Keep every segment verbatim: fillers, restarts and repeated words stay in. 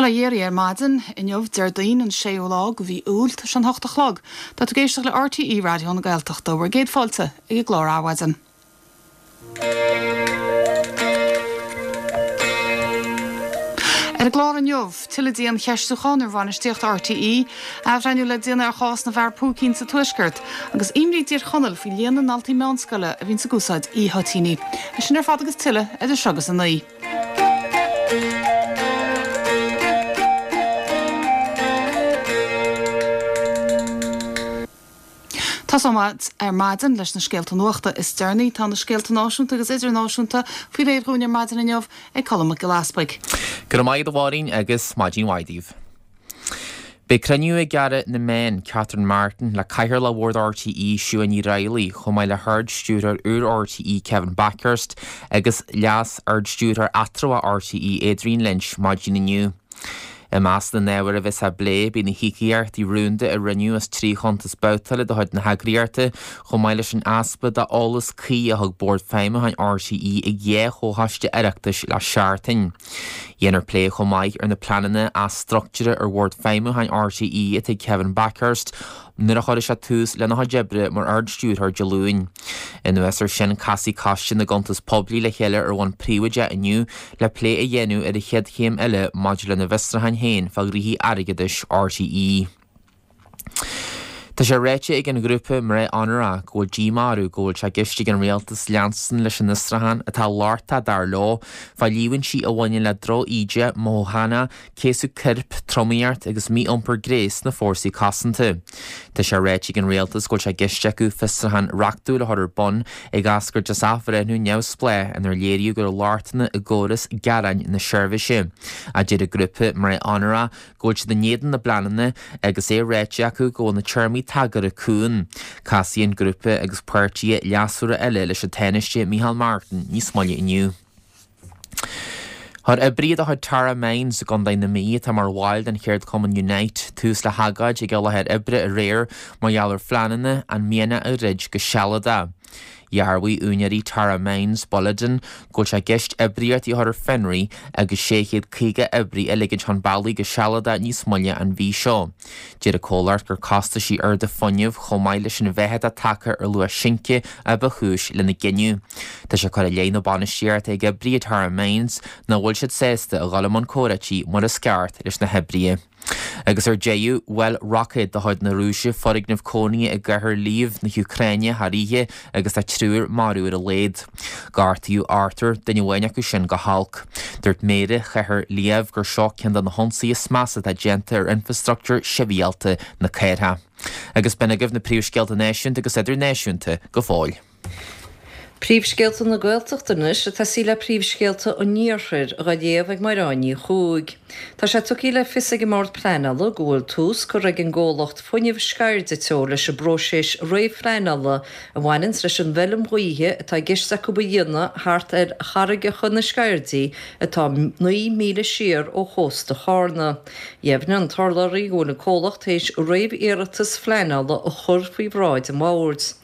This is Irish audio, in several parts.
Bail ó Dhia oraibh ar maidin inniu Déardaoin an séú lá de mhí Iúil tá sé an hocht a chlog. Tá tú ag éisteacht le RTÉ Raidió na Gaeltachta bhur gcéad fáilte ag an gclár Adhmhaidin. Ar an gclár inniu, tuilleadh diancheistiúchán ar bhainistíocht RTÉ, athbhreithniú le déanamh ar chás na bhfear púicín sa Tuaisceart, agus imní i dTír Chonaill faoi líon na ndaltaí meánscoile a bhíonn ag úsáid e-thoitíní. É sin ar fad agus tuilleadh idir seo agus a naoi. Tosóimid ar maidin leis na scéalta nuachta is deireanaí. Tá na scéalta náisiúnta agus idirnáisiúnta faoi réir dhúinn ar maidin inniu ag Colm Mac Giolla Easpaig. Go raibh maith agat a Mháirín agus maidin mhaith daoibh. Beidh cruinniú ag Aire na Meán, Catherine Martin, le Cathaoirleach Bhord RTÉ, Siún Ní Raghallaigh, chomh maith le hArd-Stiúrthóir úr RTÉ, Kevin Bakhurst, agus Leas-Ard-Stiúrthóir Eatramhach RTÉ, Adrian Lynch, maidin inniu. I measc na n-ábhar a bheas á bplé, beidh na híocaíochtaí rúnda a rinneadh as trí chuntas babhtála de chuid na heagraíochta, chomh maith leis an easpa d'eolas cuí a thug Bord Feidhmiúcháin RTÉ ag dhá chomhchoiste Oireachtais le seachtain. Dhéanfar plé chomh maith ar na pleananna athstruchtúrtha ar Bhord Feidhmiúcháin RTÉ atá ag Kevin Bakhurst nuair a chuirfidh sé tús lena chuid oibre mar Ard-Stiúrthóir Dé Luain. Anuas air sin, casfaidh Coiste na gCuntas Poiblí le chéile ar bhonn príobháideach inniu le plé a dhéanamh ar an chéad chéim eile maidir lena bhfiosrúcháin féin fá ghnoithí airgeadais RTÉ. Tá sé ráite ag an ghrúpa Mná Onóracha go bhfuil díomá orthu go bhfuil sé i gceist ag an rialtas leanstan leis an fhiosrúchán atá lochtach dar leo fá líomhaintí a bhaineann le droch-íde mothúchánach, céasadh coirp, tromaíocht agus mí-iompar gnéis sna fórsaí cosanta. Tá sé ráite ag an rialtas go bhfuil sé i gceist acu fiosrúchán reachtúil a chur ar bun ag eascairt as athbhreithniú neamhspleách inar léiríodh go raibh lochtanna i gcóras gearáin na seirbhíse. Ach deir an grúpa Mná Onóracha go bhfuil siad in éadan na bpleananna agus é ráite acu go bhfuil na téarmaí tagartha cúng. Casfaidh an grúpa agus páirtithe leasmhara eile leis an Tánaiste Micheál Martin níos moille inniu. Chuir oibrithe de chuid Tara Mines i gContae na Mí, atá mar bhaill den cheardchumann Unite, tús le hagóid ag a láthair oibre aréir mar gheall ar phleananna an mianach a dhruid go sealadach. Dhearbhaigh úinéirí Tara Mines, Boliden, go bhfuil sé i gceist oibríochtaí a chur ar fionraí agus sé chéad caoga oibrí a ligint chun bealaigh go sealadach níos moille an mhí seo. Deir an comhlacht gur costaisí arda fuinnimh chomh maith leis an mheath atá tagtha ar luach since a ba chúis lena gcinneadh. Tá sé curtha i leith na bainistíochta ag oibrithe Tara Mines nach bhfuil siad sásta a dhul i mbun comhráití mar is ceart leis na hoibrithe. Agus ar deireadh, bhuail roicéad de chuid na Rúise foirgneamh cónaithe i gcathair Lviv na hÚcráine thar oíche agus tá triúr marbh ar a laghad. Gortaíodh ochtar, duine amháin acu sin go holc. Dúirt Méara chathair Lviv gur seo ceann de na hionsaithe is measa atá déanta ar infreastruchtúr sibhialta na cathrach. Agus b'in agaibh na príomhscéalta náisiúnta agus idirnáisiúnta go fóill. Príomhscéalta na Gaeltachta anois ag tosaí le príomhscéalta an Iarthair á léamh ag Mairéad Ní Chuaig. Tá sé tugtha le fios ag an mBord Pleanála go bhfuil tús curtha ag an gcomhlacht Fuinneamh Sceirde Teo leis an bpróiseas réamhphleanála a bhaineanns leis an bhfeilm ghaoithe atá i gceist acu a dhéanamh thart ar charraigeacha na Sceirdí atá naoi míle siar ó chósta Charna. Dheimhnigh an t-urlabhraí go bhfuil an comhlacht théis réamhiarratas phleanála a chur faoi bhráid an bhoird.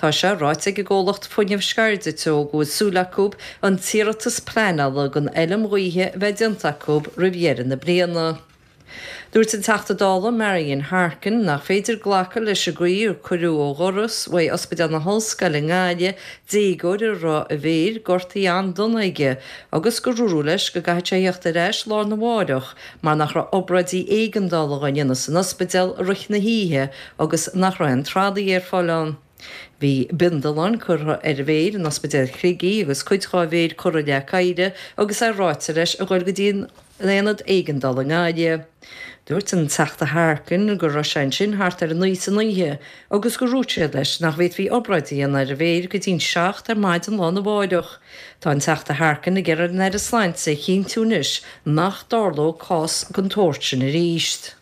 Tá sé ráite ag an gcomhlacht Fuinneamh Sceirde Teo go bhfuil súil acu an t-iarratas pleanála don fheilm ghaoithe a bheith déanta acu roimh dheireadh na bliana. Dúirt an Teachta Dála Marian Harkin nach féidir glacadh leis an gcaoi ar cuireadh ó dhoras uaidh Ospidéal na hOllscoile i nGaillimh déagóir a raibh a mhéir gortaithe an-dona aige agus gur dúradh leis go gcaithfidh sé theacht ar ais lá arna mháireach mar nach raibh obráidí éigeandála á ndéanamh san ospidéal i rith na hoíche agus nach raibh aon tralaí ar fáil ann. Bhí bindealán curtha ar a mhéir in Ospidéal Shligigh agus cuid dhá mhéir curtha le caire agus é ráite leis a ghoil go dtí an aonad éigeandála i nGaillimh. Dúirt an Teachta Harkin go raibh sé ansin thart ar a naoi san oíche agus gur dhúirt siad leis nach bhféadfaí obráid a dhéanamh ar a mhéir go dtí'n seacht ar maidin lá arna mháireach. Tá an Teachta Harkin ag iarraidh ar an Aire Sláinte a chinntiú anois nach dtarlódh cás den tsórt sin arís.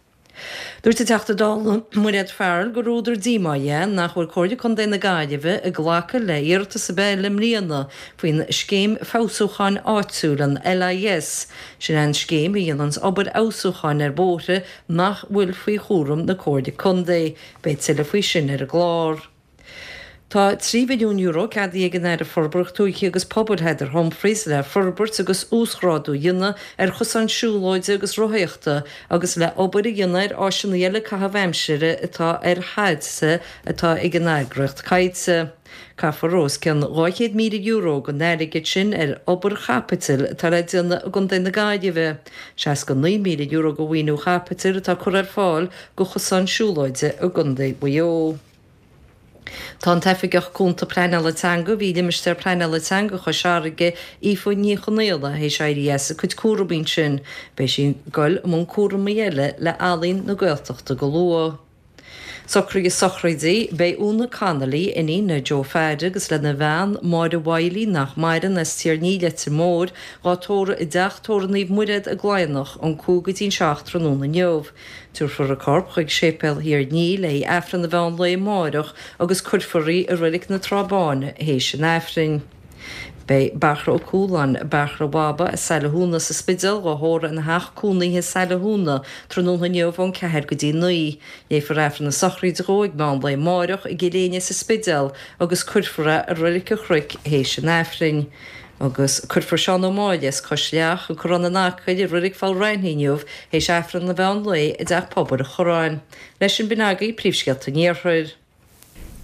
Dúirt an Teachta Dála Mairéad Farrell gur údar díomá é nach bhfuil Comhairle Contae na Gaillimhe ag glacadh le hiarratas ar bith eile i mbliana faoin Scéim Feabhsúcháin Áitiúil, an LIS. Sin é an scéim a dhéananns obair fheabhsúcháin ar bhóithre nach bhfuil faoi chúram na Comhairle Contae. Beidh tuilleadh faoi sin ar an gclár. Tá trí mhilliún euro ceadaithe ag an Aire Forbartha Tuaithe agus Pobail Heather Humphreys le forbairt agus uasghrádú a dhéanamh ar chosáin siúlóide agus rothaíochta agus le obair a dhéanamh ar áiseanna eile caitheamh aimsire atá ar thailte atá ag an eagraíocht Coillte. Caithfear os cionn dhá chéad míle euro den airgead sin ar obair chaipitil atá le déanamh i gContae na Gaillimhe. seasca naoi míle euro de mhaoiniú chaipitil atá curtha ar fáil do chosáin siúlóide i gContae Mhaigh Eo. Tá an tOifigeach Cúnta Pleanála Teanga a bhí i Limistéar Pleanála Teanga Chois Fharraige, Aoife Ní Chonaola, théis éirí as a cuid cúramaí ansin. Beidh sí ag goil i mbun cúramaí eile le Ealaín na Gaeltachta go luath. Socruithe sochraide, Beidh Úna Connolly, iníon le Joe Pheaid agus lena bhean, Máire Wiley, nach maireann, as Tír Ní, Leitir Móir, dhá tórramh i dTeach Tórraimh Naomh Muiréad i gCladhnach ón cúig go dtí an seacht tráthnóna inniu. Tabharfar a corp chuig Séipéal Thír Ní le haghaidh Aifreann an mheán lae amáireach agus cuirfear í i Reilig na Trá Báine théis an Aifrinn. Beidh Beartla Ó Cualáin, Beartla Bhaba as Saile Thúna sa Spidéal dhá thórramh ina theach cónaithe i Saile Thúna tráthnóna inniu ón ceathair go dtí naoi. Léifear Aifreann na sochraide dhó ag meán lae amáireach i gCill Éinne sa Spidéal agus cuirfear é i Reilig an Chnoic théis an Aifrinn. Agus cuirfear Seán Ó Máille as Cois Leach, An Corrán in Acaill, i Reilig Pholl Raithní inniu théis Aifreann an mheán lae i dTeach Pobail an Chorráin. Leis sin b'in agaibh príomhscéalta an Iarthair.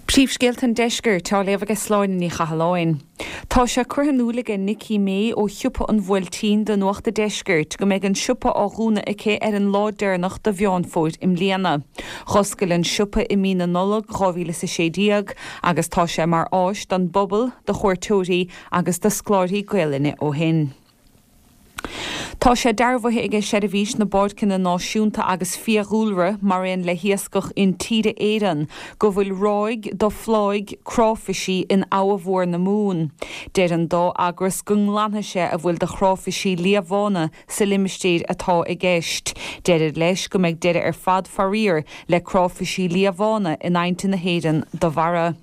Príomhscéalta an Deiscirt á léamh ag Sláine Ní Chathalláin. Tá sé curtha in iúl aige Nicky May ó shiopa an Bhuailtín do Nuacht an Deiscirt go mbeidh an siopa á dhúnadh aici ar an lá deireanach de Mheán Fómhair i mbliana. Dh'oscail an siopa i mí na Nollag dhá mhíle is a sé déag agus tá sé mar áis don bpobal, do chuairteoirí agus do scoláirí Gaelainne ó shin. Tá sé dearbhaithe aige Seirbhís na bPáirceanna Náisiúnta agus Fiadhúlra, mar aon le hIascach Intíre Éireann, go bhfuil ráig do phláigh cráifisí in Abha Mhór na Mumhan. Deir an dá eagras go nglanfaidh sé a bhfuil de chráifisí liathbhána sa limistéir atá i gceist. Deirid leis go mbeidh deireadh ar fad faraor le cráifisí liathbhána in aibhnte na hÉireann dá bharra.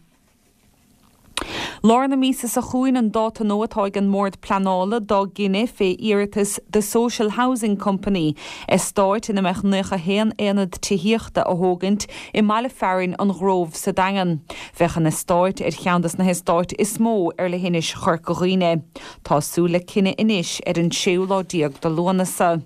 Lár na míosa seo chugainn an dáta nua atá ag an mBord Pleanála dá gcinneadh fé iarratas The Social Housing Company, eastáit ina mbeadh naocha haon aonad tithíochta a thógaint i mbaile fearainn an Ghrove sa Daingean. Bheadh an eastáit ar cheann des na heastáit is mó ar leithinis Chorca Dhuibhne. Tá súil le cinneadh anois ar an séú lá déag de Lúnasa.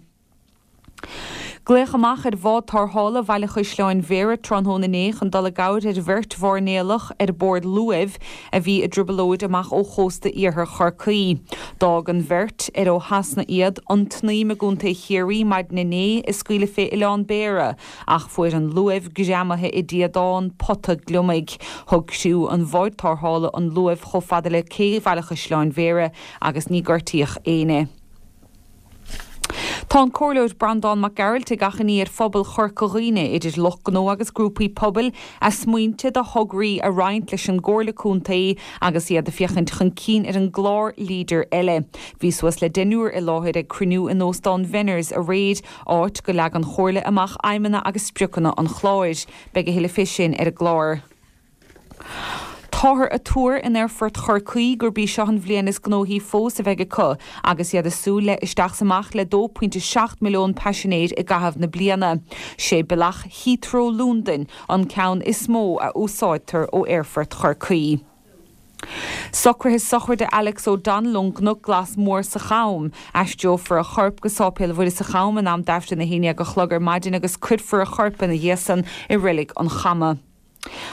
Glaodh amach ar bhád tarrthála Bhaile Chaisleáin Bhéarra tráthnóna inné chun dul i gcabhair ar bheirt mhairnéalach ar bord luaimh a bhí i dtrioblóid amach ó chósta iarthar Chorcaí. D'fhág an bheirt, ar ó Shasana iad, an tSnaidhm i gContae Chiarraí maidin inné ag scaoileadh fé Oileán Béarra ach fuair an luamh greamaithe i dtíodán pota gliomaigh. Thug criú an bháid tarrthála an luamh chomh fada le cé Bhaile Chaisleáin Bhéarra agus ní gortaíodh éinne. Tá an Comhairleoir Breandán Mac Gearailt ag achainí ar phobal Chorca Dhuibhne, idir lucht gnó agus grúpaí pobail, a smaointe do thograí a roinnt leis an gComhairle Contae agus iad ag féachaint chun cinn ar an gclár Leader eile. Bhí suas le deichniúr i láthair ag cruinniú in Óstán Venners aréir, áit go leag an Chomhairle amach aidhmeanna agus spriocanna an chláir. Beidh a thuilleadh fé sin ar an gclár. Táthar ag tuar in Aerfort Chorcaí gurb í seo an bhliain is gnóthaí fós a bheidh acu agus iad ag súil le isteach 's amach le dó pointe seacht milliún paisinéir i gcaitheamh na bliana. Sé bealach Heathrow Londain an ceann is mó a úsáidtear ó Aerfort Chorcaí. Socruithe sochraide Alex O'Donnell ón gCnoc Glas Mór sa Cham. Aistreofar a chorp go Sáipéal Mhuire sa Cham in am d'Aifreann a haon déag a chlog ar maidin agus cuirfear a chorp ina dhiaidh san i Reilig an Chama.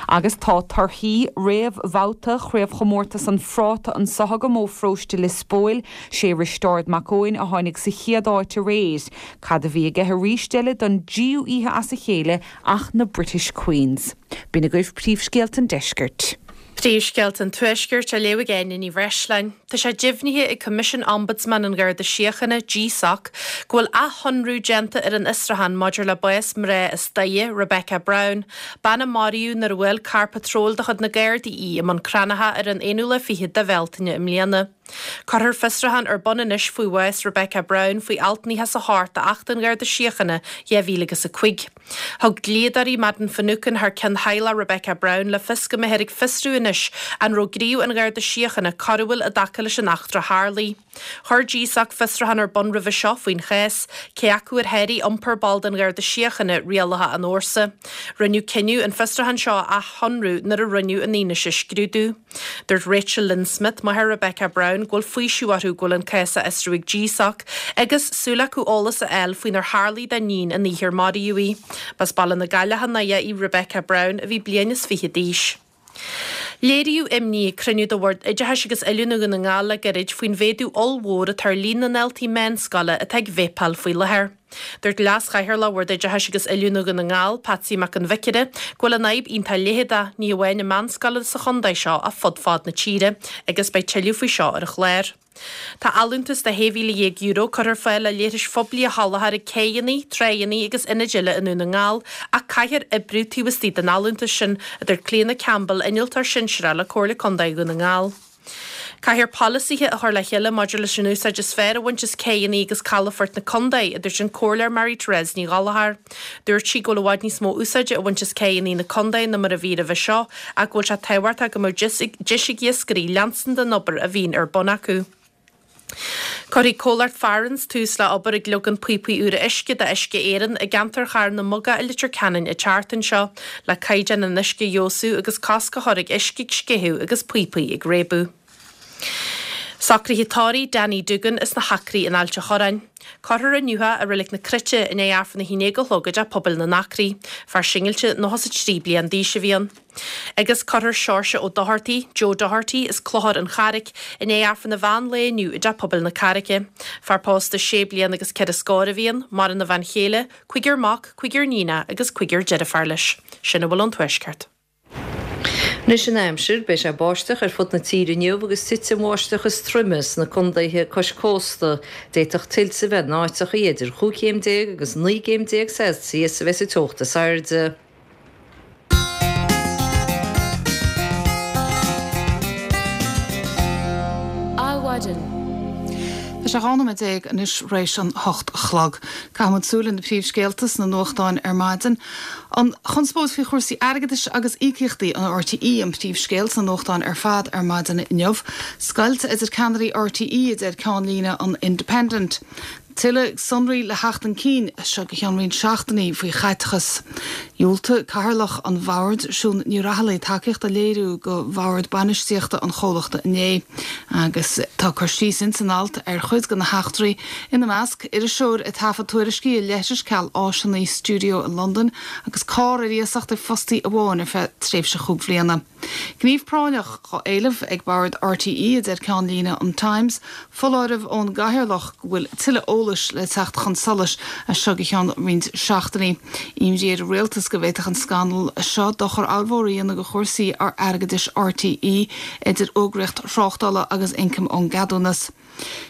Agus tá torthaí réamhbhabhta Chraobhchomórtas an Phráta anso agam ó pharóiste Lios Póil. Sé Risteárd Mac Eoin a tháinig sa chéad áit aréir. Cad a bhí aige arís eile don dtríú oíche as a chéile ach na British Queens. B'in agaibh príomhscéalta an deiscirt. Príomhscéalta an Tuaiscirt á léamh ag Áine Ní Bhreisleáin. Tá sé deimhnithe ag Coimisiún Ombudsman an Gharda Síochána, GSOC, go bhfuil athshonrú déanta ar an fhiosrúchán maidir le bás mná as Doire, Rebecca Brown, bean a maraíodh nuair a bhuail carr patróil de chuid na Gardaí í i mBun Cranncha ar an aonú lá fichead de Bhealtaine i mbliana. Cuirfear fiosrúchán ar bun anois faoi bhás Rebecca Brown faoi alt nócha is a hocht d'Acht an Gharda Síochána, dhá mhíle agus a cúig. Thug dlíodóirí Madden Finucane thar ceann theaghlach Rebecca Brown le fios go mbeifear ag fiosrú anois an raibh gníomh an Gharda Síochána coiriúil i dtaca leis an eachtra a tharlaigh. Chuir GSOC fiosrúchán ar bun roimhe seo faoin chás, cé acu ar sháraigh iompar ball den Gharda Síochána rialacha an fhórsa. Rinneadh cinneadh an fiosrúchán seo a athshonrú nuair a rinneadh an fhianaise a scrúdú. Dúirt Rachel Lynn Smith, máthair Rebecca Brown, go bhfuil faoiseamh orthu go bhfuil an cás á fhiosrú ag GSOC agus súil acu eolas a fháil faoinar tharlaigh dá n-iníon an oíche ar maraíodh í. B'as Baile na Gaillimhe í Rebecca Brown a bhí bliain is fiche d'aois. Léiríodh imní ag cruinniú de Bhord Oideachais agus Oiliúna Dhún na nGall le gairid faoin mhéadú ollmhór atá ar líon na ndaltaí meánscoile atá ag véipeáil faoi láthair. Dúirt Leas-Chathaoirleach Bhord Oideachais agus Oiliúna Dhún na nGall, Patsy Mac an Bhiocaire, go bhfuil an fhadhb iontach leitheadach, ní hamháin i meánscoileanna sa chontae seo ach fud fad na tíre, agus beidh tuilleadh faoi seo ar an chlár. Tá allúntas de shé mhíle dhéag euro curtha ar fáil le leithris phoiblí a sholáthar ag céidheanna, tráigheanna agus ionaid eile i nDún na nGall ach caithfear oibriú taobh istigh den allúntas sin, a dúirt Clíona Campbell, Innealtóir Sinsearach le Comhairle Contae Dhún na nGall. Caithfear polasaithe a chur le chéile maidir leis an úsáid is fearr a bhaint as céidheanna agus calafoirt na contae, a dúirt an Comhairleoir Mary Therese Ní Ghallchóir. Dúirt sí go bhfuil i bhfad níos mó úsáide á bhaint as céidheanna na contae ná mar a bhí roimhe seo ach go bhfuil sé tábhachtach go mbeadh deis ag iascairí leanstan den obair a bhíonn ar bun acu. Cuirfidh comhlacht Farrans tús le obair ag leagan píopaí úra uisce d'Uisce Éireann i gceantar Charn na Muga i Leitir Ceanainn an tseachtain seo le caighdeán an uisce a fheabhsú agus cosc a chur ag uisce ag sceitheadh agus píopaí ag réabadh. Socruithe tórraimh Danny Duggan as na hAcraí in Ailt a' Chorráin. Cuirfear inniu é i Reilig na Cruite i ndiaidh Aifreann a haon déag a chlog i dTeach Pobail na nAcraí. Fear singilte nócha is a trí bliain d'aois a bhí ann. Agus cuirfear Seoirse Ó Dochartaigh, Joe Doherty, as Clochar an Charraic, i ndiaidh Aifreann an mheán lae inniu i dTeach Pobail na Carraice. Fear pósta sé bliana agus ceithre scór a bhí ann, maireann a bhean chéile, cúigear mac, cúigear níonach agus cúigear deirféar leis. Sin a bhfuil ón Tuaisceart. Anois an aimsir, beidh sé ag báisteach ar fud na tíre inniu agus titfidh an bháisteach is troime sna contaetha cois cósta. D'fhéadfadh tuilte a bheith in áiteachaí idir chúig chéim déag agus naoi gcéim déag Celsius a bheas an teocht is airde. Adhmhaidin. Tá sé dhá nóiméad déag anois th'réis an hocht a chlog. Caithfidh muid súil ar na príomhscéalta sna nuachtáin ar maidin. An chonspóid faoi chúrsaí airgeadais agus íocaíochtaí an RTÉ an príomhscéal sna nuachtáin ar fad ar maidin inniu. Scoilt idir ceannairí RTÉ a deir ceannlíne an Independent. Tuilleadh sonraí le theacht chun cinn as seo go ceann roinnt seachtainí faoi chaiteachas. Dhiúltaigh Cathaoirleach an Bhoird, Siún Ní Raghallaigh, tacaíocht a léiriú do bhord bainistíochta an chomhlachta inné agus tá cur síos ins an alt ar chuid de na heachtraí, ina measc, iriseoir ag taifead tuairiscí i leithris ceal áiseanna stiúideo i Londain agus carr ar iasacht ag fostaí amháin ar feadh tréimhse chúig bhliana. Gníomh práinneach á éileamh ag Bord RTÉ, a deir ceannlíne an Times, foláireamh ón gCathaoirleach go bhfuil tuilleadh eolais le teacht chun solais as seo go ceann roinnt seachtainí. Imní ar an Rialtas go bhféadfadh an scannal seo dochar ollmhór a dhéanamh do chúrsaí airgeadais RTÉ, idir fhógraíocht thráchtála agus ioncam ón gceadúnas.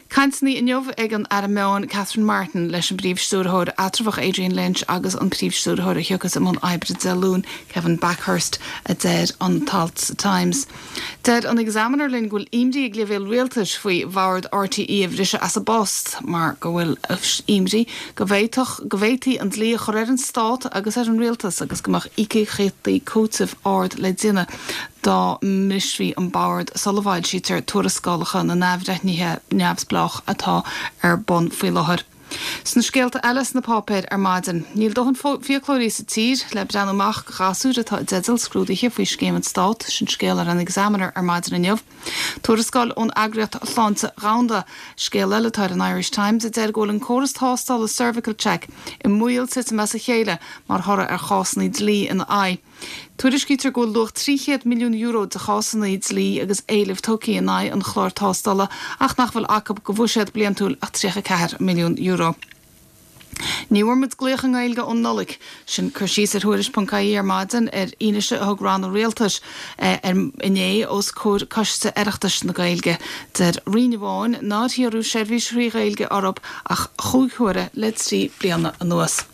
Cainteanna inniu ag an Aire Meán Catherine Martin leis an bPríomh-Stiúrthóir eatramhach Adrian Lynch agus an Príomh-Stiúrthóir a thiocfas i mbun oibre Dé Luain, Kevin Bakhurst, a deir an t-alt sa Times. Deir an Examiner linn go bhfuil imní ag leibhéal rialtais faoi bhord RTÉ a bhriseadh as a bpost mar go bhfuil imní go bhféadfadh go bhféadfaí an dlí a chur ar an stát agus ar an rialtas agus go mbeadh íocaíochtaí cúitimh ard le déanamh dá mbrisfí an bord sula bhfoilsítear tuarascálacha na n-athbhreithnithe neamhspleách atá ar bun faoi láthair. Sna scéalta eile sna páipéir ar maidin, níl dóthain fiaclóirí sa tír le breathnú amach do ghasúir atá i dteideal scrúduithe faoi scéim an Stát, sin scéal ar an Examiner ar maidin inniu. Tuarascáil ón Eagraíocht Shláinte Dhomhanda, scéal eile atá ar an Irish Times, a deir go bhfuil an córas tástála Cervical Check i mbaol titim as a chéile mar thoradh ar chásanna dlí ina aghaidh. Tuairiscítear go bhfuil luach trí chéad milliún euro de chásanna dlí agus éilimh tugtha in aghaidh an chláir tástála ach nach bhfuil acu de bhuiséad bliantúil ach tríocha a ceathair milliún euro. Ní bhfuair muid glaoch i nGaeilge ón Nollaig. Sin cur síos ar Thuairisc ponc ie ar maidin ar fhianaise a thug ranna rialtais inné os comhair Coiste Oireachtais na Gaeilge. Deir roinn amháin nár hiarradh seirbhís thrí Ghaeilge orthu ach chúig huaire le trí bliana anuas.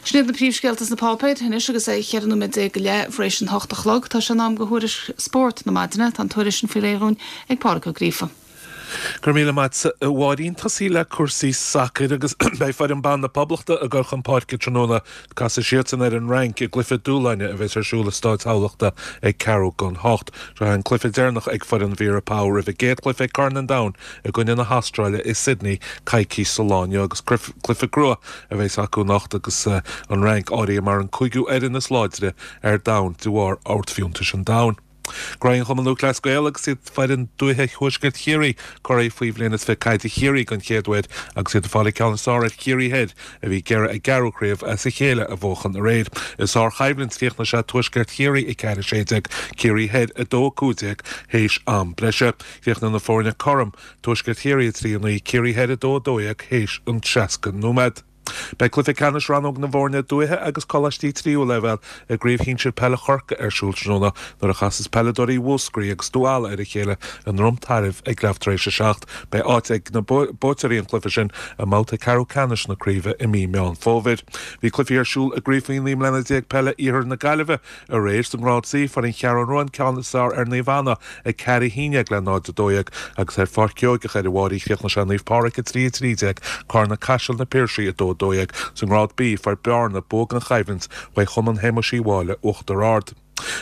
Sin iad na príomhscéalta sna páipéir anois agus é cheithre nóiméad déag go leith tar éis an hocht a chlog. Tá sé in am do thuairisc spóirt na maidine. Tá an tuairisc sin faoi réir dhúinn ag Pádraig Ó Gríofa. Go raibh míle maith a Mháirín. Tosaí le cúrsaí sacair agus beidh foireann ban na Poblachta ag dul chun páirce tráthnóna. Casfaidh siadsan ar an Fhrainc i gcluiche dúshláin a bheas ar siúl i Stáid Thamhlachta ag ceathrú don hocht. Seo an cluiche deireanach ag foireann Vera Pauw roimh a gcéad chluiche ag Corn an Domhain i gcoinne na hAstráile i Sydney coicís sa lá inniu agus cluiche crua a bheas acu anocht agus an Fhrainc áirithe mar an cúigiú fhoireann is láidre ar domhan de bharr ardfhiúntais an domhain. Graitheann Chumann Lúthchleas Gael agus iad foireann dúiche Thuaisceart Chiarraí curaidh faoi bhliain is fiche caide Chiarraí den chéad uair agus iad ag fáil an ceann is fearr ar Chiarraí Thoir a bhí ag iarraidh a gceathrú craobh as a chéile a bhuachan aréir. I sárchoimhlint chríochnaigh sé Tuaisceart Chiarraí a ceathair a sé déag, Ciarraí Thoir a dó a cúig déag théis am breise. Chríochnaigh na foirne cothrom, Tuaisceart Chiarraí a trí a naoi, Ciarraí Thoir a dó a dó dhéag théis an seasca nóiméad. Beidh cluiche ceannais rannóg na bhfoirne dúiche agus coláistí tríú leibhéal i gCraobh Shinsir Peile Chorcaí ar siúl tráthnóna nuair a chasas peileadóirí Mhúscraí agus Dún Ealla ar a chéile i nDroim Tairbh ag leath tar éis a seacht. Beidh áit ag na buaiteoirí an chluiche sin i mbabhta ceathrú ceannais na craoibhe i mí Meán Fómhair. Bhí cluichí ar siúl i gCraobh faoi naoi mbliana déag peile Iarthar na Gaillimhe aréir sa ngrád C fuair an Cheathrú Rua an ceann is fearr ar Naomh Anna ag ceathair a haon déag le náid a dó dhéag agus ar Pháirc Sheoigeach ar an Mháirín chríochnaigh sé Naomh Pádraig a trí a trí déag, Carna Caiseal Na Piarsaigh a dó a dó dhéag. Sa ngrád B fuair Bearna bua gan choimhlint uaidh Chumann Shéamuis Uí Mháille Uachtar Ard.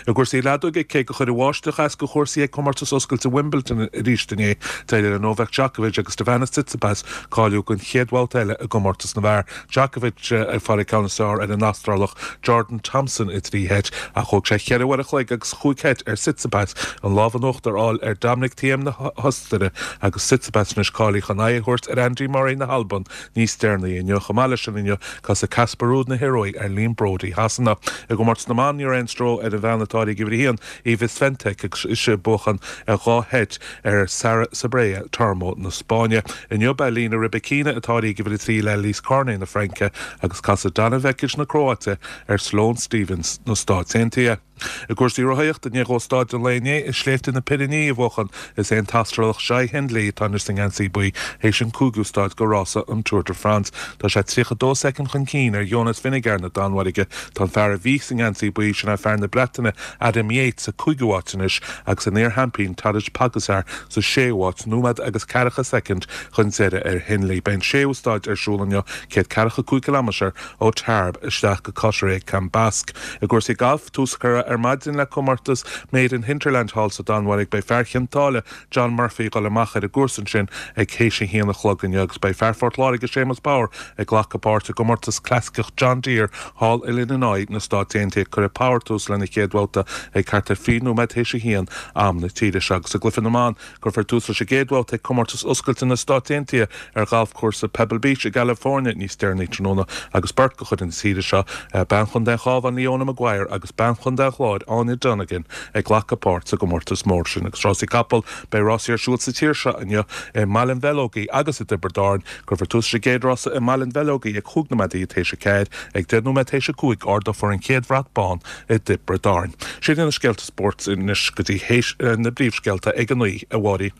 I gcúrsaí leadóige, cé gur chuir an bháisteach as do chúrsaí ag Comórtas Oscailte Wimbledon arís inné, d'éirigh le Novak Djokovic agus Stefanos Tsitsipas cáiliú don chéad bhabhta eile i gcomórtas na bhfear. Djokovic ag fáil an ceann is fearr ar an Astrálach Jordan Thompson i dtrí sheit, ach thóg sé cheithre uair a chloig agus chúig sheit ar Tsitsipas an lámh in uachtar a fháil ar Dominic Thiem na hOstaire agus Tsitsipas anois cáilithe chun aghaidh a thabhairt ar Andy Murray na hAlban níos deireanaí inniu. Chomh maith leis sin inniu, casfaidh Casper Ruud na hIorua ar Liam Broady Shasana. I gcomórtas na mban ní raibh aon stró ar an bhean atá ag uimhir a haon, Iga Swiatek, agus ise ag buachan ar dhá sheit ar Sara Sorribes Tormo na Spáinne. Inniu beidh Elena Rybakina atá ag uimhir a trí le Alizé Cornet na Fraince agus casfaidh Donna Vekic na Cróite ar Sloane Stephens na Stáit Aontaithe. I gcúrsaí rothaíochta, i ndiaidh dó staid an lae inné i sléibhte na Pirinní a bhuachan, is é an tAstrálach Jai Hindley atá anois sa ngeansaí buí théis an cúigiú staid de rása an Tour de France. Tá sé tríocha dó soicind chun cinn ar Jonas Vingegaard na Danmhairge. Tá an fear a bhí sa ngeansaí buí, sin é fear na Breataine Adam Yates, sa cúigiú háit anois agus an iar-sheaimpín Tadej Pogacar sa séú háit, nóiméad agus ceathracha soicind chun deiridh ar Hindley. Beidh an séú staid ar siúl inniu, céad ceathracha cúig ciliméadar ó Tarbes isteach go Cauterets-Cambasque. I gcúrsaí gailf, tús curtha ar maidin le comórtas Made in Hinterland thall sa Danmhairg. Beidh fear Chionn tSáile, John Murphy, ag dul amach ar an gcúrsa ansin ag théis a haon a chlog inniu agus beidh fear Phort Láirge, Séamus Power, ag glacadh páirt i gcomórtas clasaiceach John Deere thall i Illinois na Stáit Aontaithe. Cuirfidh Power tús lena chéad bhabhta ag thart ar fiche nóiméad théis a haon am na tíre seo. Agus i gcluiche na mban, cuirfear tús leis an gcéad bhabhta ag comórtas oscailte na Stáit Aontaithe ar ghalfchúrsa Pebble Beach i gCalifornia níos deireanaí tráthnóna agus beirt de chuid na tíre seo, bean Chontae an Chabháin Leona Maguire agus bean Chontae an Chláir Áine Donegan ag glacadh páirt sa gcomórtas mór sin. Agus rásaí capall, beidh rásaí ar siúl sa tír seo inniu i mBaile an Bheileogaigh agus i dTiobraid Árann. Cuirfear tús leis an gcéad rása i mBaile an Bheileogaigh ag chúig nóiméadaí théis a ceathair. Ag deich nóiméad théis a cúig ardófar an chéad bhrat bán i dTiobraid Árann. Sin iad na scéalta spóirt anois go dtí théis na bpríomhscéalta ag a naoi, a Mháirín.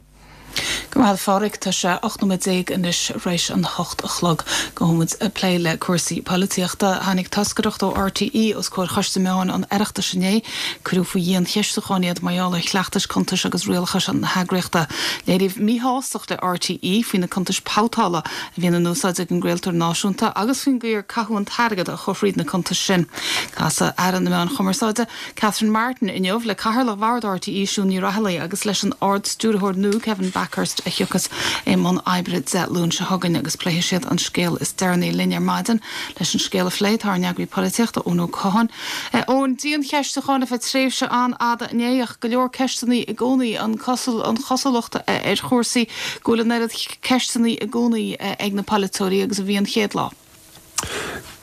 Go maith a Phádraig, tá sé ocht nóiméad déag anois tar éis an hocht a chlog. Gabhfaidh muid ag plé le cúrsaí polaitíochta. Tháinig toscaireacht ó RTÉ os comhair Choiste Meán an Oireachtais inné. Cuireadh faoi dhiancheistiúchán iad mar gheall ar chleachtais cuntais agus rialachais na heagraíochta. Léiríodh míshástacht le RTÉ faoi na cuntais babhtála a bhíonn in úsáid ag an gcraoltóir náisiúnta agus faoin gcaoi ar caitheadh an t-airgead a chuir thríd na cuntais sin. Casfaidh Aire na Meán Chumarsáide Catherine Martin inniu le Cathaoirleach Bhord RTÉ Siún Ní Raghallaigh agus leis an Ard-Stiúrthóir nua Kevin Bakhurst a thiocfas i mbun oibre Dé Luain seo chugainn agus pléifidh siad an scéal is deireanaí linn ar maidin leis an scéal a phlé tá ár n-eagraí polaitíochta Eoin Ó Catháin. Eoin diancheistiúchán ar feadh tréimhse an-fhada inné ach go leor ceisteanna i gcónaí an an chosúlacht ar chúrsaí go bhfuil an oiread ceisteanna i gcónaí ag na polaiteoirí agus a bhí an chéad lá.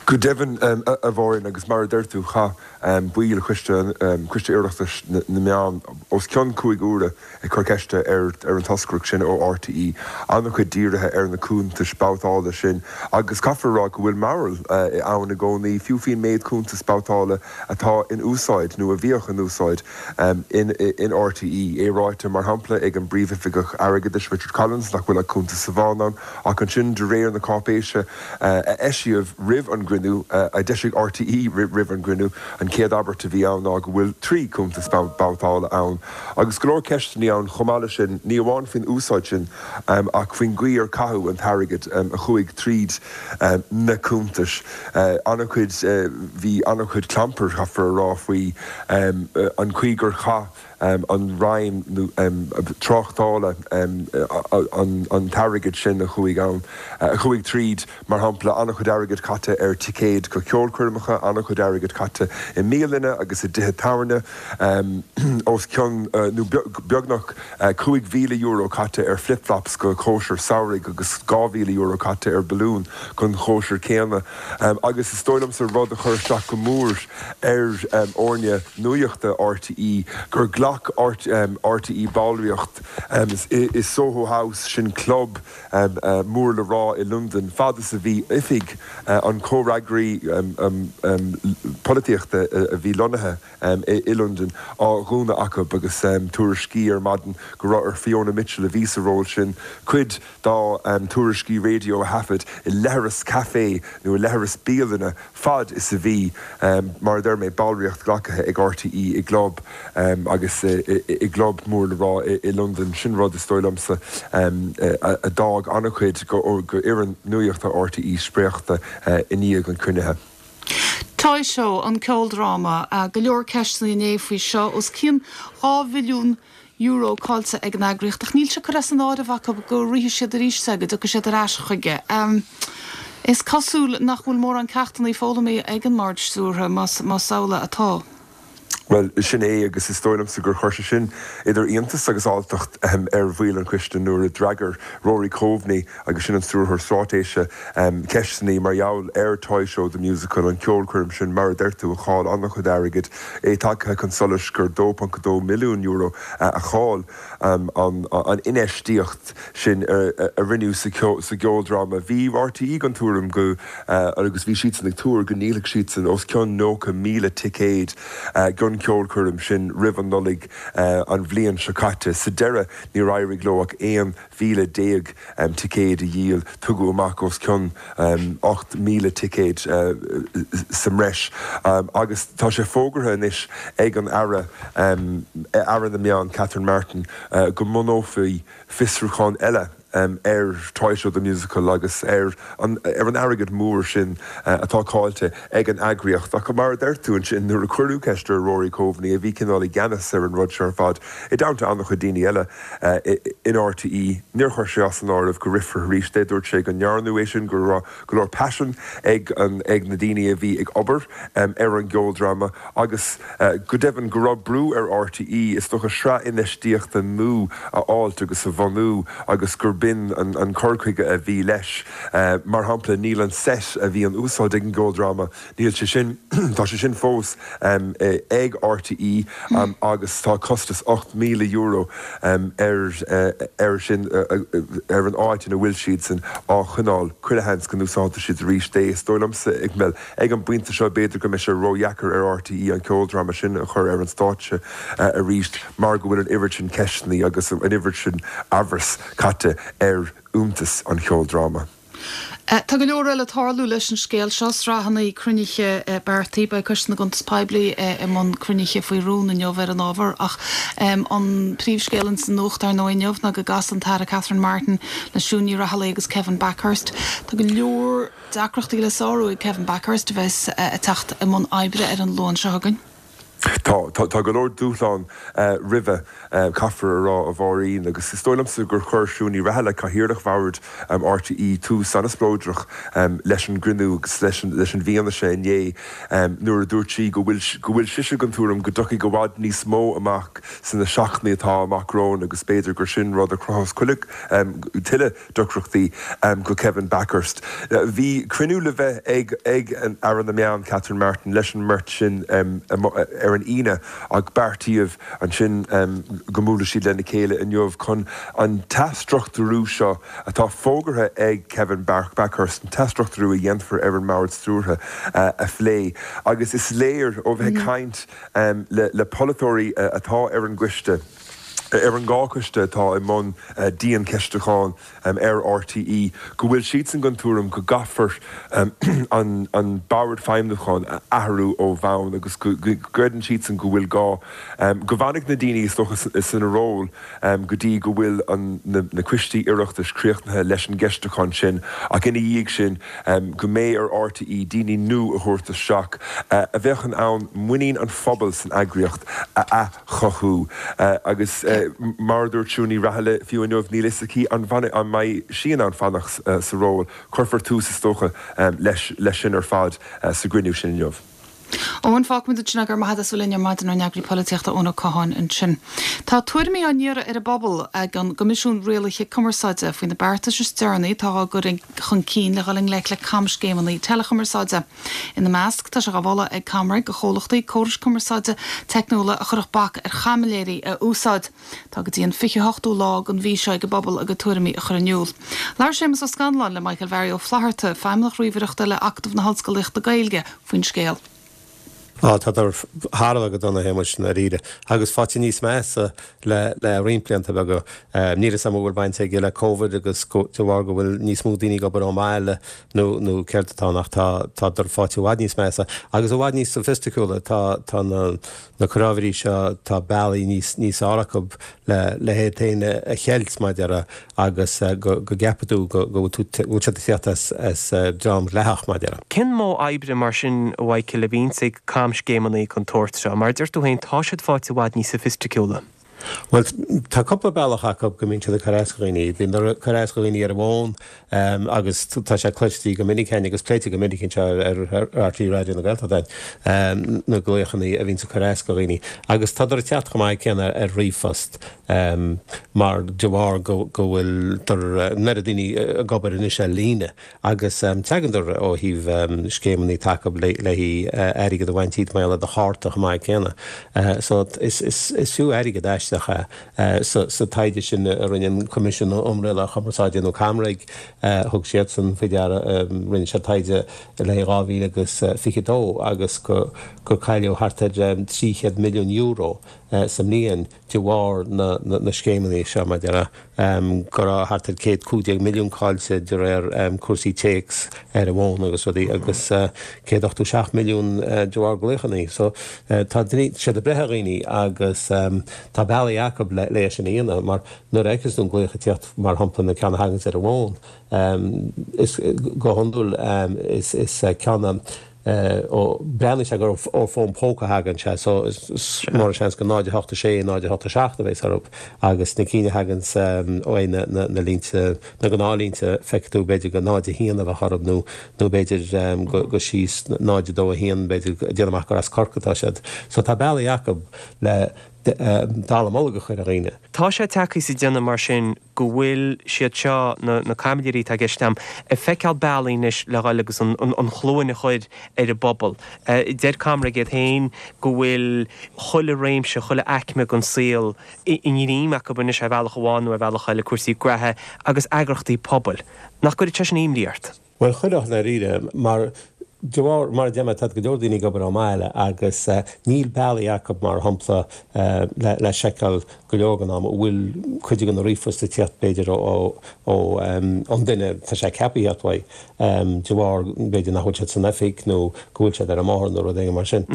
Go deimhin a Mháirín agus mar a deir tú chaith baill choiste coiste Oireachtais na meán os cionn cúig uaire ag cur ceiste ar ar an toscaireacht sin ó RTÉ an-chuid dírithe ar na cuntais babhtála sin agus caithfear rá go bhfuil mearbhall ann i gcónaí fiú faoin méid cuntas babhtála atá in úsáid nó a bhíodh in úsáid in in RTÉ é ráite mar shampla ag an bpríomhoifigeach airgeadais Richard Collins nach bhfuil ach cuntas amháin ann ach ansin de réir na cáipéise a eisíodh roimh an gcruinniú gcruinniú, a d'eisigh RTÉ roimh an gcruinniú, an chéad abairt a bhí ann ná go bhfuil trí chuntas babhtála ann. Agus go leor ceisteanna ann chomh maith leis sin, ní amháin faoin úsáid sin ach faoin gcaoi ar caitheadh an t-airgead a chuaigh tríd na cuntais. An-chuid, bhí an-chuid clampair, caithfear a rá, faoi an chaoi gur chaith an Roinn Tráchtála an t-airgead sin a chuaigh ann, a chuaigh tríd, mar shampla, an-chuid airgid caite ar ticéid go ceolchoirmeacha, an-chuid airgid caite i mbialanna agus i dtithe tábhairne, os cionn nó beagnach cúig mhíle euro caite ar flip-flops go cóisir samhraidh agus dhá mhíle euro caite ar balún don chóisir chéanna. Agus is dóigh liomsa rud a chuir isteach go mór ar fhoirne nuachta RTÉ gur ghlac RTÉ ballraíocht i Soho House, sin club mór le rá i Londain, fad is a bhí oifig an chomhfhreagraí polaitíochta a bhí lonnaithe i Londain á dhúnadh acu agus tuairiscí ar maidin go raibh ar Fiona Mitchell, a bhí sa ról sin, cuid dá tuairiscí raidió a thaifead i leithreas caife nó i leithreas bialainne fad is a bhí, mar a deir mé, ballraíocht glactha ag RTÉ i gclub agus i gclub mór le rá i Londain. Sin rud, is dóigh liomsa, a d'fhág an-chuid d'fhoireann nuachta RTÉ spréachta i ndiaidh an chruinnithe. Toy Show, an ceoldráma, go leor ceisteanna inné faoi seo, os cionn dhá bhilliún euro caillte ag an eagraíocht, ach níl sé curtha as an áireamh acu go rithfidh siad arís é, go dtiocfaidh siad ar ais chuige. Is cosúil nach bhfuil mórán ceachtanna foghlamtha ag an mbord stiúrtha, más amhlaidh atá. Bhuel, sin é, agus is dóigh liomsa gur chuir sé sin idir iontas agus alltacht ar bhaill an choiste nuair a d'fhreagair Rory Coveney, agus sin an Stiúrthóir Straitéise, ceisteanna mar gheall ar Toy Show The Musical, an ceolchoirm sin, mar a deir tú, a chaill an-chuid airgid, é tagtha chun solais gur dó ponc a dó milliún euro a chaill an infheistíocht sin a rinneadh sa gceoldráma. Bhí RTÉ den tuairim go, agus bhí siadsan ag tuar go ndíolfadh siadsan os cionn nócha míle ticéad don cheolchoirm sin roimh an Nollaig an bhliain seo caite. Sa deireadh níor éirigh leo ach aon mhíle déag ticéad a dhíol. Tugadh amach os cionn ocht míle ticéad sa mbreis agus tá sé fógartha anois ag an Aire, Aire na Meán Catherine Martin, go mbunófaí fiosrúchán eile ar Toy Show The Musical agus ar an airgead mór sin atá caillte ag an eagraíocht. Ach mar a deir tú ansin, nuair a cuireadh ceist ar Rory Coveney, a bhí cineál i gceannas ar an rud seo ar fad, i dteannta an-chuid daoine eile in RTÉ, níor chuir sé as an áireamh go rithfear arís é. Dúirt sé go ndearnadh é sin, go raibh go leor paisin ag ag na daoine a bhí ag obair ar an gceoldráma agus go deimhin go raibh brú ar RTÉ, is dócha, sraith infheistíochta nua a fháilt agus a bhunú agus gur b'in an cur chuige a bhí leis. Mar shampla, níl an seit a bhí in úsáid ag an gceoldráma, níl sé sin, tá sé sin fós ag RTÉ agus tá costas ocht míle euro air air sin ar an áit ina bhfuil siadsan á choinneáil. Chuile sheans go n-úsáidfidh siad arís é. Is dóigh liomsa, bhuel, ag an bpointe seo, b'fhéidir go mbeidh sé ródheacair ar RTÉ an ceoldráma sin a chur ar an stáitse arís mar go bhfuil an oiread sin ceisteanna agus an oiread sin amhras caite ar fhiúntas an cheoldráma. Tá go leor eile ag tarlú leis an scéal seo, sraitheanna cruinnithe beartaithe. Beidh Coiste na gCuntas Poiblí i mbun cruinnithe faoi rún inniu ar an ábhar ach an príomhscéal ins an nuacht ar ndóigh inniu ná go gcasfaidh an tAire Catherine Martin le Siún Ní Raghallaigh agus Kevin Bakhurst. Tá go leor deacrachtaí le sárú ag Kevin Bakhurst a bheas ag teacht i mbun oibre ar an Luan seo chugainn. Tá, tá go leor dúshlán roimhe, caithfear a rá, a Mháirín, agus is dóigh liomsa gur chuir Siún Ní Raghallaigh, Cathaoirleach Bhord RTÉ, tús an-spleodrach leis an gcruinniú agus leis an bhfianaise inné nuair a dúirt sí go bhfuil go bhfuil sise den tuairim go dtiocfaidh i bhfad níos mó amach sna seachtainí atá amach romhainn agus b'fhéidir gur sin rud a chruthós tuilleadh deacrachtaí go Kevin Bakhurst. Bhí cruinniú le bheith ag ag Aire na Meán, Catherine Martin, leis an mbeirt sin ar an Aoine ach beartaíodh ansin go mbuailfeadh siad lena chéile inniu chun an t-athstruchtúrú seo atá fógartha ag Kevin Bakhurst, an t-athstruchtúrú a dhéanfar ar an mbord stiúrtha a phlé. Agus is léir ó bheith ag caint le polaiteoirí atá ar an gcoiste, ar an dhá choiste atá i mbun diancheistiúcháin ar RTÉ go bhfuil siadsan den tuairim go gcaithfear an bord feidhmiúcháin a athrú ó bhonn agus go gcreideann siadsan go bhfuil gá go bhfanfaidh na daoine is dócha sna róil go dtí go bhfuil na coistí Oireachtais críochnaithe leis an gceistiúchán sin ach ina dhiaidh sin go mbeidh ar RTÉ daoine nua a thabhairt isteach a bheadh in ann muinín an phobail san eagraíocht a athchothú agus mar a dúirt Siún Ní Raghallaigh fiú inniu, níl fhios aici an an mbeidh sí in ann fanacht sa ról. Cuirfear tús is dócha leis sin ar fad sa gcruinniú sin inniu. Eoin, fágfaimid ansin é, go raibh maith agat as a bheith linn ar maidin, ár n-eagraí polaitíochta Eoin Ó Catháin ansin. Tá tuairimí á n-iarraidh ar an bpobal ag an gCoimisiún Rialaithe Cumarsáide faoi na beartais is deireanaí atá á gcur chun cinn le dhul i ngleic le camscéimeanna teileachumarsáide. Ina measc, tá sé á mholadh ag ComReg do chomhlachtaí córais cumarsáide teicniúla a chuirfeadh bac ar chaimiléirí a úsáid. Tá go dtí an fiche hochtú lá den mhí seo ag an bpobal a gcuid tuairimí a chur in iúl. Labhair Séamus Ó Scanláin le Michael Mheairi Ó Flatharta, Feidhmeannach Ríomhaireachta le Acadamh na hOllscolaíochta Gaeilge, faoin scéal. Á, tádar thar a bheith go dona, a Shéamuis, i ndáiríre, agus faighte níos measa le le roinnt blianta beaga. Níl 'fhios a'm an bhfuil baint aige le Covid agus go de bharr go bhfuil níos mó daoine ag obair ón mbaile nó nó céard atá ann ach tá tádar faighte i bhfad níos measa agus i bhfad níos soifisticiúla. Tá tá na na cráibheirí seo, tá bealaí níos níos fearr acu le le hiad féin a cheilt, mar a déarfá, agus go go gceapfaidh tú go go bhfuil tú go bhfuil siad ag tíocht as as dream dleathach, mar a déarfá. Cén modh oibre mar sin, a Mhichael, a bhíonns ag camscéimeanna den tsórt seo? Mar a deir tú féin, tá siad faighte i bhfad níos soifisticiúla. Bhuel, tá cúpla bealach acu go mbíonn siad ag cur as do dhaoine. Bíonn ag cur as do dhaoine ar an bhfón agus tá sé cloiste go minic againn agus pléite go minic anseo ar RTÉ Raidió na Gaeltachta na glaochanna a bhíonns ag cur as do dhaoine. Agus tádar ag teacht chomh maith céanna ar ríomhphost mar de bharr go bhfuil an oiread daoine ag obair anois ar líne agus teagandar ó thaobh scéimeanna atá acu le haghaidh airgead a bhaint díot mar gheall ar do chárta chomh maith céanna. So is fiú airgead aisteach é. Sa taighde sin a rinne an Coimisiún um Rialáil Chumarsáide nó ComReg, thug siadsan faoi deara, rinne siad taighde le haghaidh dhá mhíle agus fiche dó agus gur cailleadh thart ar trí chéad milliún euro sa mbliain de bharr na scéimeanna seo, mar a déarfá, go raibh thart ar céad cúig déag milliún caillte de réir cúrsaí téacs ar an bhfón agus rudaí agus céad ochtó seacht milliún de bharr glaochanna. So tá siad ag breith ar dhaoine agus tá bealaí acu le é sin a dhéanamh mar nuair a fheiceanns tú an glaoch ag tíocht mar shampla na ceann a thaganns ar an bhfón is go hiondúil is ceann ó breathnaíonn sé gur ó fón póca a thagann sé so is mór an seans gur náid a hocht a sé, náid a hocht a seacht a bheas orthu agus na cinn a thaganns ó na na línte, na gnáthlínte, feicfidh tú b'fhéidir gur náid a haon a bheadh orthu nó nó b'fhéidir go go síos náid a dó a haon b'fhéidir déanamh amach gur as Corcaigh atá siad. So tá bealaí acu le dallamullóg a chur ar dhaoine. Tá sé tagtha sa déanamh mar sin go bhfuil siad seo, na caimiléirí atá i gceist agam, ag feiceáil bealaí anois le dhul agus an chluain a chur ar an bpobal. Deir ComReg iad féin go bhfuil chuile réimse, chuile aicme den saol i ngreim acu anois ar bhealach amháin nó ar bhealach eile, cúrsaí graithe agus eagrachtaí pobail. Nach gcuirfeadh sé sin imní ort? Bhuel, chuirfeadh, i ndáiríre, mar de bharr, mar a deir mé, tá go leor daoine ag obair ón mbaile agus níl bealaí acu, mar shampla, le seiceáil go leor den am an bhfuil cuid de na ríomhphoist ag tíocht b'fhéidir ó an duine tá sé ceaptha a theacht uaidh, de bharr b'fhéidir nach bhfuil siad san oifig nó go bhfuil siad ar an mbóthar nó rud éigin mar sin.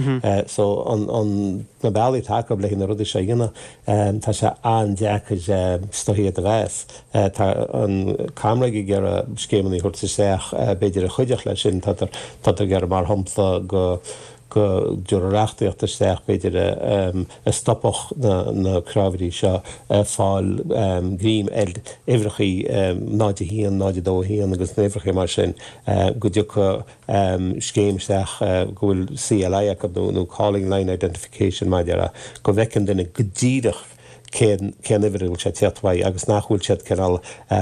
So an na bealaí atá acu le na rudaí seo a dhéanamh, tá sé an-deacair is dóichí iad a mheas. Tá an ComReg ag iarraidh scéimeanna a thabhairt isteach b'fhéidir a chuideodh leis sin. Tá ag iarraidh mar shampla go go dtabharfadh reachtaíocht isteach b'fhéidir a stopfadh na cráibheirí seo ag fáil greim ar uimhreachaí náid a haon, náid a dó a haon agus na huimhreachaí mar sin go dtiocfadh scéim isteach go bhfuil CLI acu nó Calling Line Identification mar a déarfá go bhfeiceann duine go díreach cén cén uimhir a bhfuil sé ag tíocht uaidh agus nach bhfuil siad cineál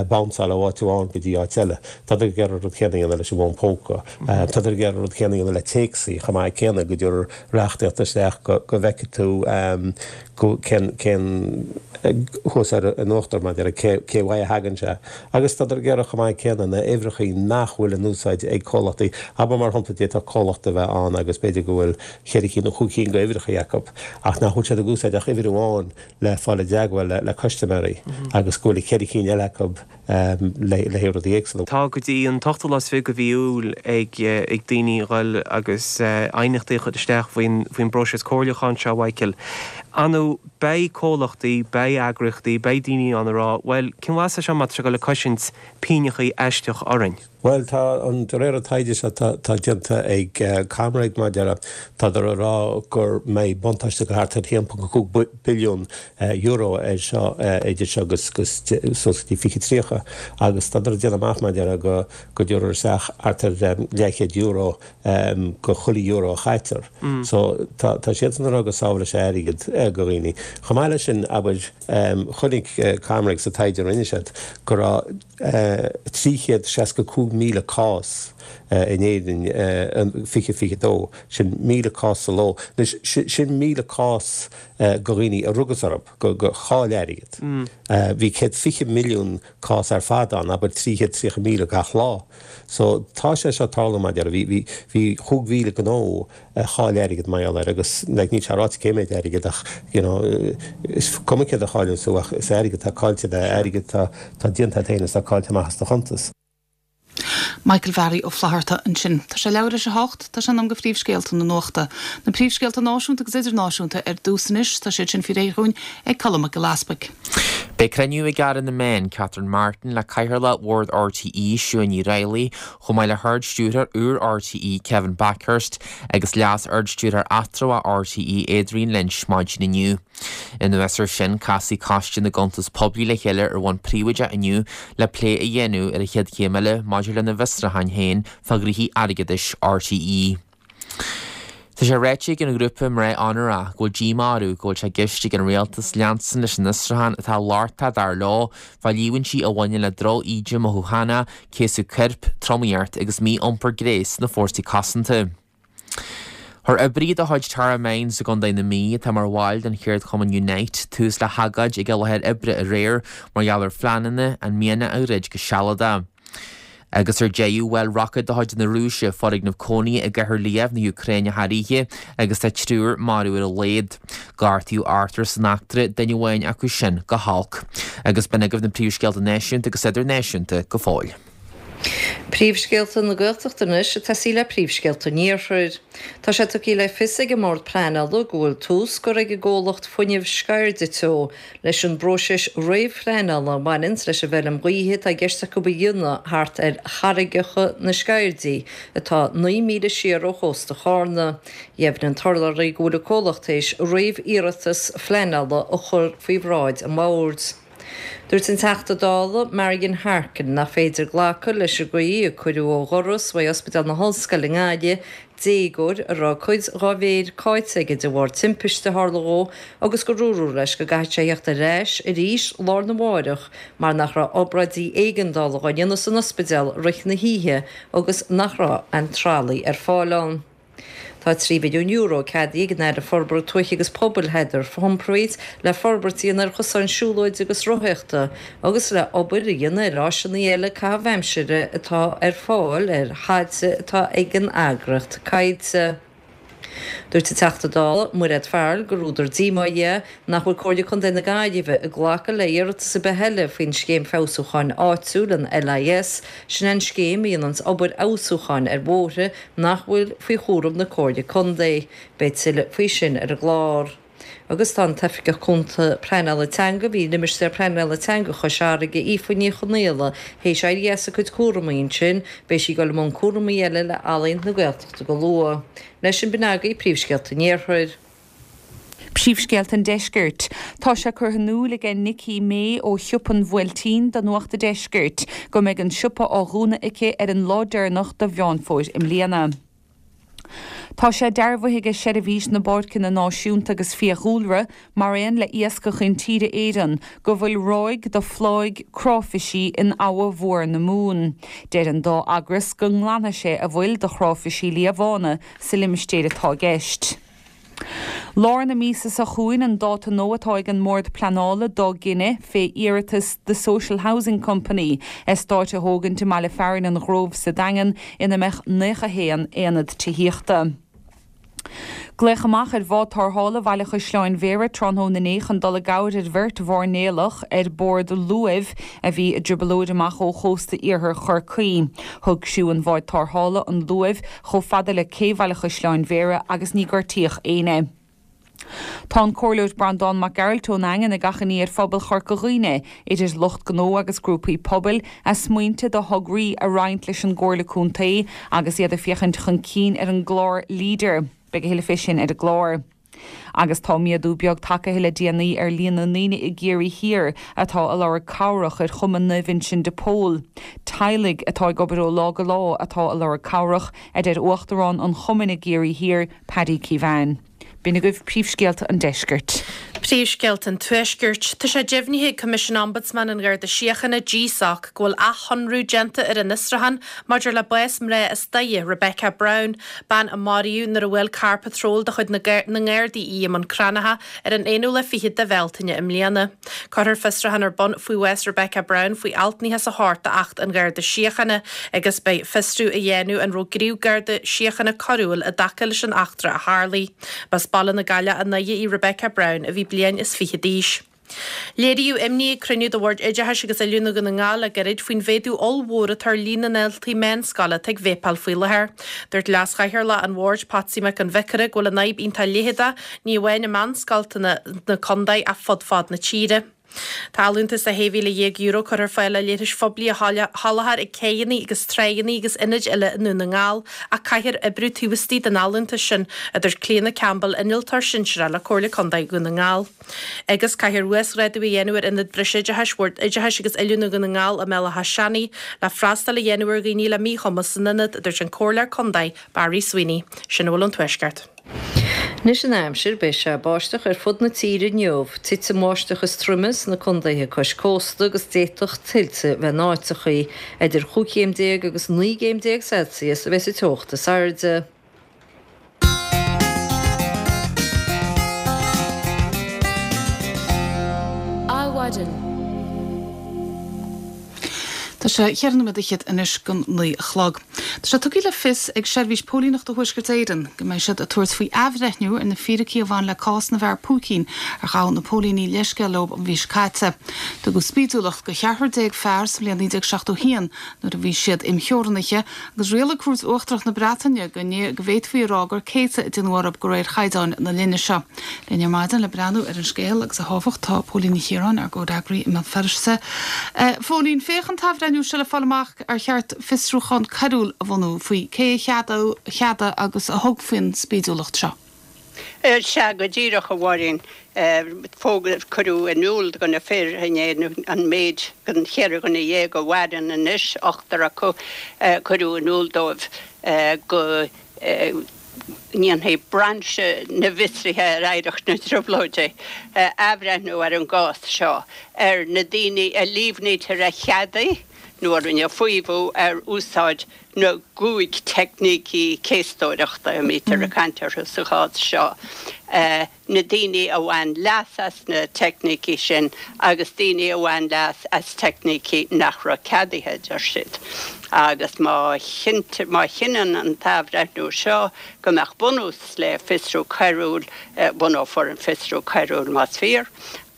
bounceáil ó áit amháin go dtí áit eile. Tádar ag iarraidh an rud céanna a dhéanamh leis an bhfón póca. Tádar ag iarraidh an rud céanna a dhéanamh le téacsaí chomh maith céanna, go dtabharfar reachtaíocht isteach go go bhfeicfidh tú go cén cén thuas ar an uachtar mar a déarfá cé cé uaidh a thagann sé. Agus tádar ag iarraidh chomh maith céanna na uimhreachaí nach bhfuil in úsáid ag comhlachtaí, abair mar shampla d'fhéadfadh comhlacht a bheith ann agus b'fhéidir go bhfuil cheithre cinn nó chúig cinn d'uimhreachaí acu ach nach bhfuil siad ag úsáid ach uimhir amháin le fáil dul i dteagmháil le custaiméirí agus go bhfuil ceithre cinn eile acu le le rudaí éagsúla. Tá go dtí an t-ochtú lá is fiche de mhí Iúil ag ag daoine a dhul agus aighneachtaí a chur isteach faoin faoin bpróiseas comhairliúcháin seo, Mhichael. Ar ndóigh, beidh comhlachtaí, beidh eagraíochtaí, beidh daoine ann a rá, bhuel, cén mhaith é seo má tá sé ag dul ag cosaint pínneachaí aisteach orainn? Bhuel, tá an, de réir an taighde seo atá déanta ag ComReg mar a déarfá, tádar ag rá go mbeidh buntáiste de thart ar a haon ponc a cúig billiún euro air seo idir seo agus suas go dtí fiche tríocha agus tádar ag déanamh amach mar a déarfá go go dtabharfar isteach thart ar leathchéad euro go chuile euro a chaitear. So tá tá siadsan ag rá go sábhálfaidh sé airgead go dhaoine. Chomh maith leis sin, abair, chonaic ComReg sa taighde a rinne siad go raibh trí chéad seasca cúig míle cás in Éirinn in fiche fiche dó, sin míle cás sa ló. Anois, sin míle cás de dhaoine a rugadh orthu, gur chaill airgead. Bhí céad fiche milliún cás ar fad ann, abair trí chéad tríocha míle gach lá. So tá sé seo ag tarlú mar a déarfá. Bhí, bhí, bhí chúig mhíle gnó a chaill airgead mar gheall air agus like níl sé ráite cé méid airgead ach you know is cuma céard a chailleann tú ach is airgead atá caillte de, airgead atá, atá déanta agat féin is atá caillte amach as do chuntas. Michael Bharry Ó Flatharta ansin. Tá sé leathuair théis a hocht, tá sé in am do phríomhscéalta na nuachta. Na príomhscéalta náisiúnta agus idirnáisiúnta ar dtús anois, tá siad sin faoi réir dhúinn ag Colm Mac Giolla Easpaig. Beidh cruinniú ag Aire na Meán, Catherine Martin, le Cathaoirleach Bhord RTÉ, Siún Ní Raghallaigh, chomh maith le hArd-Stiúrthóir úr RTÉ, Kevin Bakhurst, agus Leas-Ardstiúrthóir Eatramhach RTÉ, Adrian Lynch, maidin inniu. Anuas air sin, casfaidh Coiste na gCuntas Poiblí le chéile ar bhonn príobháideach inniu le plé a dhéanamh ar an chéad chéim eile maidir lena bhfiosrúcháin féin fá ghnoithí airgeadais RTÉ. Tá sé ráite ag an ghrúpa Mná Onórach go bhfuil díomá orthu go bhfuil sé i gceist ag an rialtas leanstan leis an fhiosrúchán atá lochtach dar leo fá líomhaintí a bhaineann le droch-íde mothúchánach, céasadh coirp, tromaíocht agus mí-iompar gnéis sna fórsaí cosanta. Chuir oibrí de chuid Tara Mines i gContae na Mí, atá mar bhaill den cheardchumann Unite, tús le hagóid ag a láthair oibre aréir mar gheall ar phleananna an mianach a dhruid go sealadach. Agus ar deireadh, bhuail roicéad de chuid na Rúise foirgneamh cónaithe i gcathair Lviv na hÚcráine thar oíche agus tá triúr marbh ar a laghad. Gortaíodh ochtar san eachtra, duine amháin acu sin go holc. Agus b'in agaibh na príomhscéalta náisiúnta agus idirnáisiúnta go fóill. Príomhscéalta na Gaeltachta anois ag tosaí le príomhscéalta an Iarthair. Tá sé tugtha le fios ag an mBord Pleanála go bhfuil tús curtha ag an gcomhlacht fuinnimh Sceirde Teo leis an bpróiseas réamhphleanála a bhaineanns leis an bhfeilm ghaoithe atá i gceist acu a dhéanamh thart ar charraigeacha na Sceirdí atá naoi míle siar ó chósta Chárna. Dheimhnigh an t-urlabhraí go bhfuil an comhlacht théis réamhiarratas phleanála a chur faoi bhráid an bhoird. Dúirt an Teachta Dála Marian Harkin nach féidir glacadh leis an gcaoi a cuireadh ó dhoras uaidh Ospidéal na hOllscoile i nGaillimh déagóir a raibh cuid dhá mhéir caillte aige de bharr timpiste a tharla dhó agus gur dúradh leis go gcaithfeadh sé theacht ar ais arís lá arna mháireach mar nach raibh obráidí éigeandála dhá ndéanamh san ospidéal rith na hoíche agus nach raibh aon tralaí ar fáil ann. Tá trí mhilliún euro ceadaithe ag an Aire Forbartha Tuaithe agus Pobail Heather Humphreys le forbairt a dhéanamh ar chosáin siúlóide agus rothaíochta agus le obair a dhéanamh ar áiseanna eile caitheamh aimsire atá ar fáil ar thailte atá ag an eagraíocht Coillte. Dúirt an Teachta Dála Mairéad Farrell gur údar díomá é nach bhfuil Comhairle Contae na Gaillimhe ag glacadh le hiarratas ar bith eile faoin Scéim Feabhsúcháin Áitiúil, an LIS, sin an scéim a dhéananns obair fheabhsúcháin ar bhóithre nach bhfuil faoi chúram na Comhairle Contae. Beidh tuilleadh faoi sin ar an gclár. Agus tá an tOifigeach Cúnta Pleanála Teanga a bhí i Limistéar Pleanála Teanga Chois Fharraige, Aoife Ní Chonaola, théis éirí as a cuid cúramaí ansin, beidh sí ag dul i mbun cúramaí eile le Ealaín na Gaeltachta go luath. Leis sin b'in agaibh príomhscéalta an Iarthair. Príomhscéalta an Deiscirt. Tá sé curtha in iúl aige Nikki May ó Shiopa an Bhuailtín do Nuacht an Deiscirt go mbeidh an siopa á dhúnadh aici ar an lá deireanach de Mheán Fómhair i mbliana. Tá sé dearbhaithe aige Seirbhís na bPáirceanna Náisiúnta agus Fiadhúlra, mar aon le Iascach Intíre Éireann, go bhfuil ráig de phláigh cráifisí in Abha Mhór na Mumhan. Deir an dá eagras go nglanfaidh sé a bhfuil de chráifisí liathbhána sa limistéar atá i gceist. Lár na míosa seo chugainn an dáta nua atá ag an mBord Pleanála dá gcinneadh fé iarratas The Social Housing Company eastáit a thógaint i mbaile fearainn an Ghrove sa Daingean ina mbeadh naocha haon aonad tithíochta. Glaodh amach ar bhád tarrthála Bhaile Chaisleáin Bhéarra tráthnóna inné chun dul i gcabhair ar bheirt mhairnéalach ar bord luaimh a bhí i dtrioblóid amach ó chósta iarthar Chorcaí. Thug criú an bháid tarrthála an luamh chomh fada le cé Bhaile Chaisleáin Bhéarra agus ní gortaíodh éinne. Tá an Comhairleoir Breandán Mac Gearailt ón Daingean ag achainí ar phobal Chorca Dhuibhne, idir lucht gnó agus grúpaí pobail, a smaointe do thograí a roinnt leis an gComhairle Contae agus iad ag féachaint chun cinn ar an gclár Leader. Beidh a thuilleadh fé sin ar an gclár. Agus tá méadú beag tagtha le déanaí ar líon na ndaoine i gCiarraí Thiar atá ag lorg cabhrach ar Chumann Naomh Uinseann de Pól. Teaghlaigh atá ag obair ó lá go lá atá ag lorg cabhrach, a deir Uachtarán an chumainn i gCiarraí Thiar, Paddy Keevan. B'in agaibh príomhscéalta an deiscirt. Príomhscéalta an Tuaiscirt. Tá sé deimhnithe ag Coimisiún Ombudsman an Gharda Síochána, GSOC, go bhfuil athshonrú déanta ar an fhiosrúchán maidir le bás mná as Doire, Rebecca Brown, bean a maraíodh nuair a bhuail carr patróil de chuid na nGardaí í i mbun Cranncha ar an aonú lá fichead de Bhealtaine i mbliana. Cuirfear fiosrúchán ar bun faoi bhás Rebecca Brown faoi alt nócha is a hocht d'Acht an Gharda Síochána agus beidh fiosrú á dhéanamh an raibh gníomh Garda Síochána coiriúil i dtaca leis an eachtra a tharlaigh. B'as Baile na Gaille i nDoire í Rebecca Brown a bhí bliain is fiche d'aois. Léiríodh imní ag cruinniú de Bhord Oideachais agus Oiliúna Dhún na nGall le gairid faoin mhéadú ollmhór atá ar líon na ndaltaí meánscoile atá ag véipeáil faoi láthair. Dúirt Leas-Chathaoirleach an Bhoird, Patsy Mac an Bhiocaire, go bhfuil an fhadhb iontach leitheadach, ní amháin i meánscoileanna na contae ach fud fad na tíre. Tá allúntas de shé mhíle dhéag euro curtha ar fáil le leithris phoiblí a sholáthar ag céidheanna agus tráigheanna agus ionaid eile i nDún na nGall ach caithfear oibriú taobh istigh den allúntas sin, a dúirt Clíona Campbell, Innealtóir Sinsearach le Comhairle Contae Dhún na nGall. Agus caithfear uasghrádú a dhéanamh ar Ionad Breisoideachais Bhord Oideachais agus Oiliúna Dhún na nGall i mBéal Átha Seanaidh le freastal a dhéanamh ar dhaoine le míchumas san ionad, a dúirt an Comhairleoir Contae Barry Sweeney. Sin a bhfuil ón Tuaisceart. Anois an aimsir, beidh sé ag báisteach ar fud na tíre inniu. Titfidh an bháisteach is troime sna contaetha cois cósta agus d'fhéadfadh tuilte bheith in áiteachaí. Idir chúig chéim déag agus naoi gcéim déag Celsius a bheas an teocht is airde. Adhmhaidin. Tá sé cheithre nóiméad fhichead anois don naoi a chlog. Tá sé tugtha le fios ag Seirbhís Póilíneachta Thuaisceart Éireann go mbeidh siad ag tabhairt faoi athbhreithniú ar na fíricí a bhain le cás na bhfear púicín ar ghabh na póilíní leithscéal leo an mhí seo caite. Tugadh spídiúlacht do cheathrar déag fear sa bhliain naoi déag seachtó a haon nuair a bhí siad imtheorannaithe agus rialaigh Cúirt Uachtarach na Breataine go bhféadfaí a rá gur céasadh a déanadh orthu de réir chaighdeáin na linne seo. Linn ar maidin le breathnú ar an scéal agus a thábhacht tá Póilín Ní Chiaráin, ár gcomhfhreagraí i mBéal Feirste. Phóilín, féach an t-athbhreithniú seo le fáil amach ar cheart fiosrúchán coiriúil a bhunú faoi cé a cheadaigh agus a thug faoin spídiúlacht seo. Sea, go díreach, a Mháirín. Fógra, Cuireadh in iúl do na fir inné an méid den cheithre dhuine dhéag a mhaireann anois, ochtar acu, cuireadh in iúl dóibh go ndéanfaidh Brainse na bhFiosruithe ar Oidhreacht na dTrioblóidí athbhreithniú ar an gcás seo, ar na daoine a líomhnaítear a cheadaigh nó a rinne faomhadh ar úsáid na gcúig teicnící céastóireachta a mbítear ag caint orthu sa chás seo. na daoine a bhain leas as na teicnící sin agus daoine a bhain leas as teicnící nach raibh ceadaithe, a deir siad. Agus má má chinneann an t-athbhreithniú seo go mbeadh bunús le fiosrú coiriúil, bunófar an fiosrú coiriúil más fíor,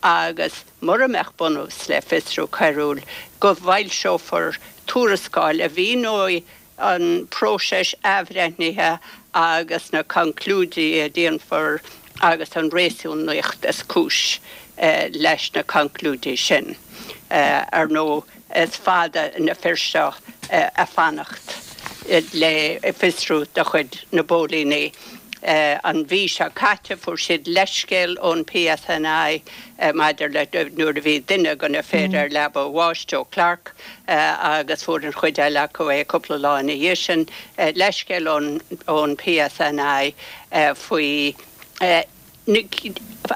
agus mura mbeadh bunús le fiosrú coiriúil, go bhfoilseofar tuarascáil a mhíneoidh an próiseas athbhreithnithe agus na conclúidí a déanfar agus an réasúnaíocht is cúis leis na conclúidí sin. Ar ndóigh, is fada na fir seo ag fanacht le fiosrú de chuid na bpóilíní. An mhí seo caite fuair siad leithscéal ón PSNI maidir le nuair a bhí duine de na fir ar leaba a bháis, Joe Clarke, agus fuair an chuid eile acu é cúpla lá ina dhiaidh sin, leithscéal ón PSNI faoi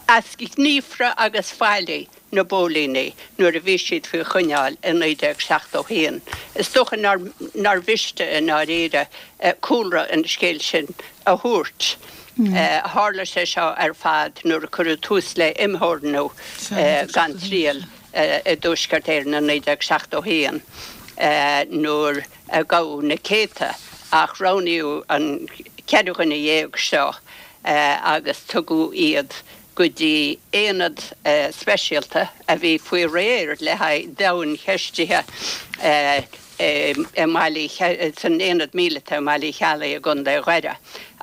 easghníomhartha agus faillí na bpóilíní nuair a bhí siad faoi choinneáil i naoi déag seachtó haon. Is dócha nár mhiste i ndáiríre cúlra an scéil sin a thabhairt. Tharla sé seo ar fad nuair a cuireadh tús le imtheorannú gan triail i dTuaisceart Éireann i naoi déag seachtó haon nuair a gabhadh na céadta ach roghnaíodh an ceithre dhuine dhéag seo agus tugadh iad go dtí aonad speisialta a bhí faoi réir le haghaidh domhaincheistithe i mBaile san aonad míleata i mBaile Uí Cheallaigh i gContae Dhoire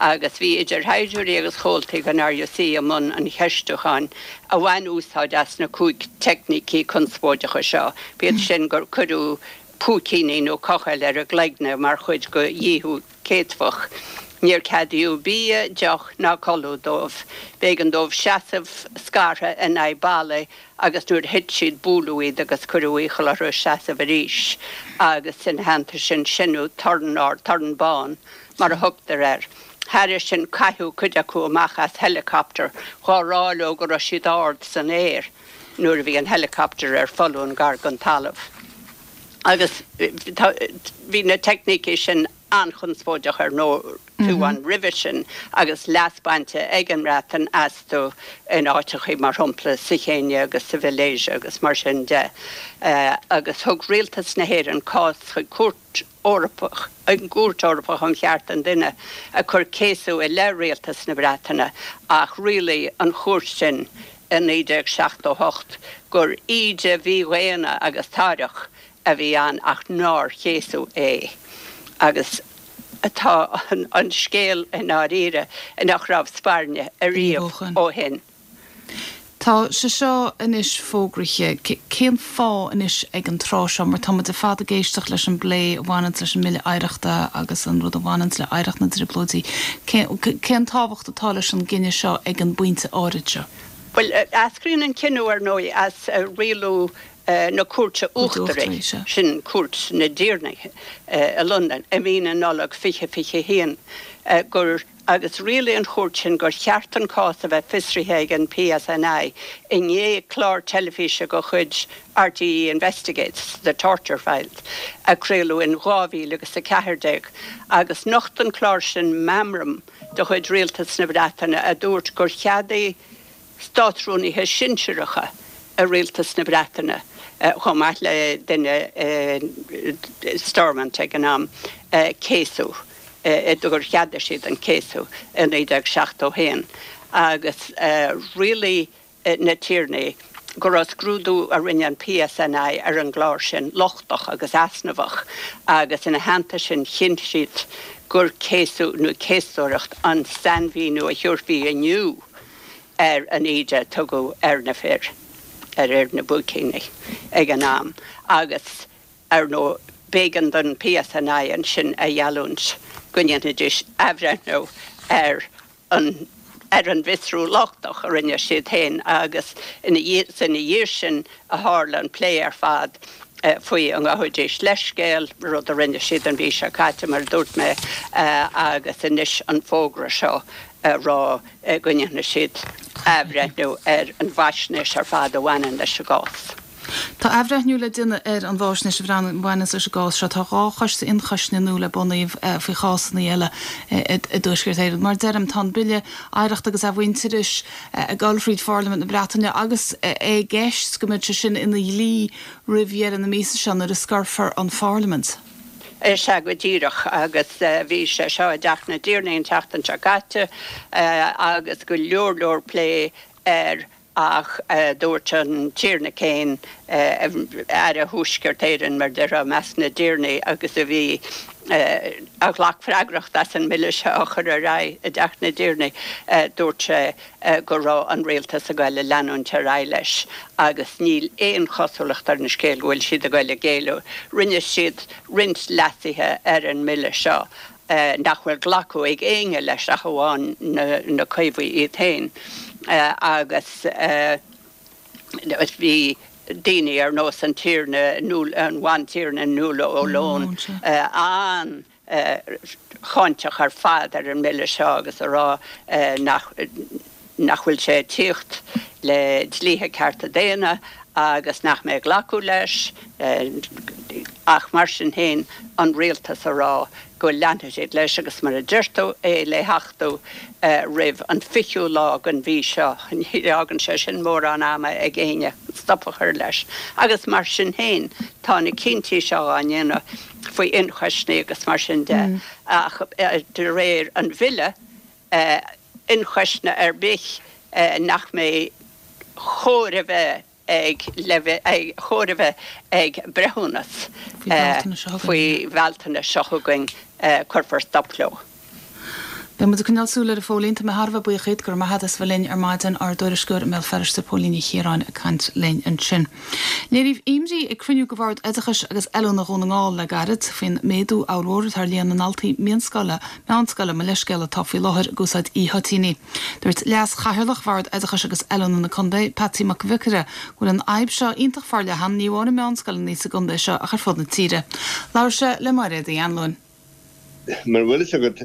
agus bhí idir shaighdiúirí agus chomhaltaí den R U C i mbun an cheistiúcháin a bhain úsáid as na cúig teicnící conspóideacha seo. B'iad sin gur cuireadh púicíní nó cochaill ar a gcloigne mar chuid de dhíothú céadfach. Níor ceadaíodh bia, deoch ná codladh dóibh. B'éigean dóibh seasamh scartha in aghaidh balla agus nuair a thit siad buaileadh iad agus cuireadh iachall orthu seasamh arís agus ina theannta sin seinneadh torann ard, torann bán mar a thugtar air. Thairis sin caitheadh cuid acu amach as helicopter dhá rá leo go raibh siad ard san aer nuair a bhí an helicopter ar foluain gar don talamh. Agus bhí na teicnící sin an-chonspóideach ar ndóigh fiú amháin roimhe sin agus leas bainte ag an mBreatain astu in áiteachaí mar shampla sa Chéinia agus sa Mhalaeisia agus mar sin de. Agus thug rialtas na hÉireann cás chuig Cúirt Eorpach, an gCúirt Eorpach um Chearta an Duine, ag cur céasadh i leith rialtas na Breataine ach rialaigh an chúirt sin i naoi déag seachtó a hocht gur íde mhídhaonna agus táireach a bhí ann ach nár chéasadh é. Agus atá an scéal i ndáiríre nach raibh spairne ariamh ó shin. Tá sé seo anois fógraithe. Cén fáth anois ag an tráth seo? Mar tá muid ar fad ag éisteacht leis an bplé a bhaineann leis an mBille Oidhreachta agus an rud a bhaineann le hoidhreacht na dTrioblóidí. Cén tábhacht atá leis an gcinneadh seo ag an bpointe áirid seo? Well, eascraíonn an cinneadh ar ndóigh as rialú na Cúirte Uachtaraí, sin Cúirt na dTiarnaí i Londain i mí na Nollag fiche fiche haon gur agus rialaigh an chúirt sin gur cheart an cás a bheith fiosraithe ag an P S N I i ndiaidh clár teilifíse de chuid R T E Investigates, The Torture Files, a craoladh in dhá mhíle agus a ceathair déag, agus nocht an clár sin meamram de chuid rialtas na Breataine a dúirt gur cheadaigh státrúnaithe sinsearacha i rialtas na Breataine chomh maith le duine Stormont ag an am céasadh gur cheadaigh siad an céasadh i naoi déag seachtó haon agus rialaigh na tiarnaí go raibh scrúdú a rinne an P S N I ar an gclár sin lochtach agus easnamhach agus ina theannta sin chinn siad gur céasadh nó céastóireacht an sainmhíniú a thabharfaí inniu ar an íde a tugadh ar na fir ar fhir na bpúicíní ag an am agus ar ndóigh b'éigean don P S N I ansin a gheallúint go ndéanfaidís athbhreithniú ar an ar an bhfiosrú lochtach a rinne siad féin agus ina ina dhiaidh sin a tharla an plé ar fad faoi an ngabhfaidís leithscéal, rud a rinne siad an mhí seo caite mar a dúirt mé agus anois an fógra seo rá go ndéanfaidh siad athbhreithniú ar an bhfaisnéis ar fad a bhaineann leis an gcás. Tá athbhreithniú le déanamh ar an bhfaisnéis a bhaineann leis an gcás seo. Tá dhá choiste ionchoisne nua le bunú faoi chásanna eile i dTuaisceart Éireann. Mar deirim, tá an Bille Oidhreachta agus Athmhuintearais ag dul fríd Pharlaimint na Breataine agus é i gceist go mbeidh sé sin ina dhlí roimh dheireadh na míosa seo nuair a scoirfear an Pharlaimint. Is ea go díreach agus bhí sé seo i dTeach na dTiarnaí an tseachtain seo caite agus go leor leor plé air ach dúirt an Tiarna Caine, Aire Thuaisceart Éireann mar déarfá i measc na dtiarnaí agus a bhí a ghlac freagracht as an mbille seo a chur ar aghaidh i dTeach na dTiarnaí, dúirt sé go raibh an rialtas ag goil a leanúint ar aghaidh leis agus níl aon chosúlacht ar an scéal go bhfuil siad ag goil a ghéilleadh. Rinne siad roinnt leasuithe ar an mbille seo nach bhfuil glacadh ag éinne leis ach amháin na Caomhaigh iad féin agus bhí daoine ar nós an Tiarna an Bhantiarna Nuala O'Loan an cháinteach ar fad ar an mbille seo agus a rá nach nach bhfuil sé ag tíocht le dlíthe cearta daonna agus nach mbeidh glacadh leis ach mar sin féin an rialtas a rá go leanfaidh siad leis agus mar a deir tú, é le hachtú roimh an fichiú lá den mhí seo. Ní fhágann sé sin mórán ama ag éinne stop a chur leis. Agus mar sin féin, tá na cinntí seo á ndéanamh faoi ionchoisní agus mar sin de. Ach de réir an bhille, ionchoisne ar bith nach mbeidh chóir a bheith ag chóir a bheith ag breithiúnas faoi Bhealtaine seo chugainn, cuirfear stop leo. Beidh muid ag coinneáil súil air a Phóilín. Tá mé thar a bheith buíoch díot, go raibh maith agat as bheith linn ar maidin, ár dtuairisceoir i mBéal Feirste, Póilín Ní Chiaráin ag caint linn ansin. Léiríodh imní ag cruinniú de Bhord Oideachais agus Oiliúna Dhún na nGall le gairid faoin méadú ollmhór atá ar líon na ndaltaí mionscoile, meánscoile, mo leithscéal, atá faoi láthair ag úsáid e-thoitíní. Dúirt Leas-Chathaoirleach Bhord Oideachais agus Oiliúna na Contae, Patsy Mac Bhiocaire, go bhfuil an fhadhb seo iontach forleathan, ní amháin i meánscoileanna sa gcontae seo ach ar fud na tíre. Labhair sé le Mairéad Uí Anluain. Mar a bhfuil fhios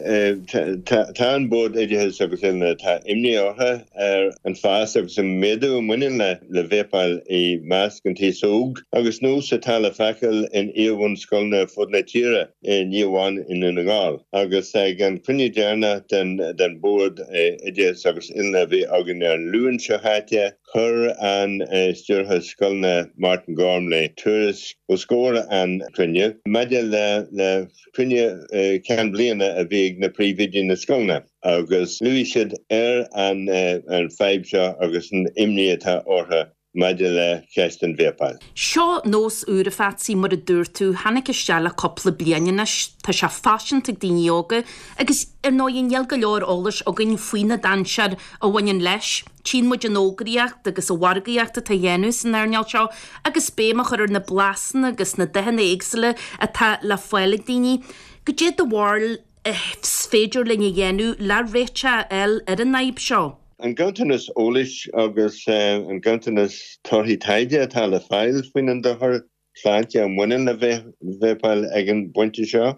agat, tá an Bord Oideachais agus Oiliúna, tá imní orthu ar an fás agus an méadú a mbaineann le véipeáil i measc an t-aos óg agus nós atá le feiceáil in iar-bhunscoileanna ar fud na tíre, ní amháin i nDún na nGall. Agus ag an cruinniú deireanach den Bhord Oideachais agus Oiliúna a bhí againn ar an Luan seo chaite, chuir an Stiúrthóir Scoileanna Martin Gormley tuairisc os comhair an chruinniú maidir le cruinniú ceann bliana a bhí ag na príomhoidí na scoileanna agus luaigh siad ar an fadhb seo agus an imní atá orthu maidir le ceist an véipeáil. Seo nós úr a Phatsy, mar a dúirt tú, tháinig isteach le cúpla bliain anois. Tá sé faiseanta ag daoine óga agus ar ndóigh níl go leor eolais againn faoi na dainséir a bhaineann leis. Tchíonn muid an fhógraíocht agus an mhargaíocht atá á dhéanamh san earnáil seo agus béim á chur ar na blasanna agus na dathanna éagsúla atá le fáil ag daoine. Goidé do bharúil is féidir linn a dhéanamh le réiteach a fháil ar an fhadhb seo? An ganntanas eolais agus an ganntanas torthaí taighde atá le fáil faoin an dochar sláinte a mbaineann le véipeáil ag an bpointe seo,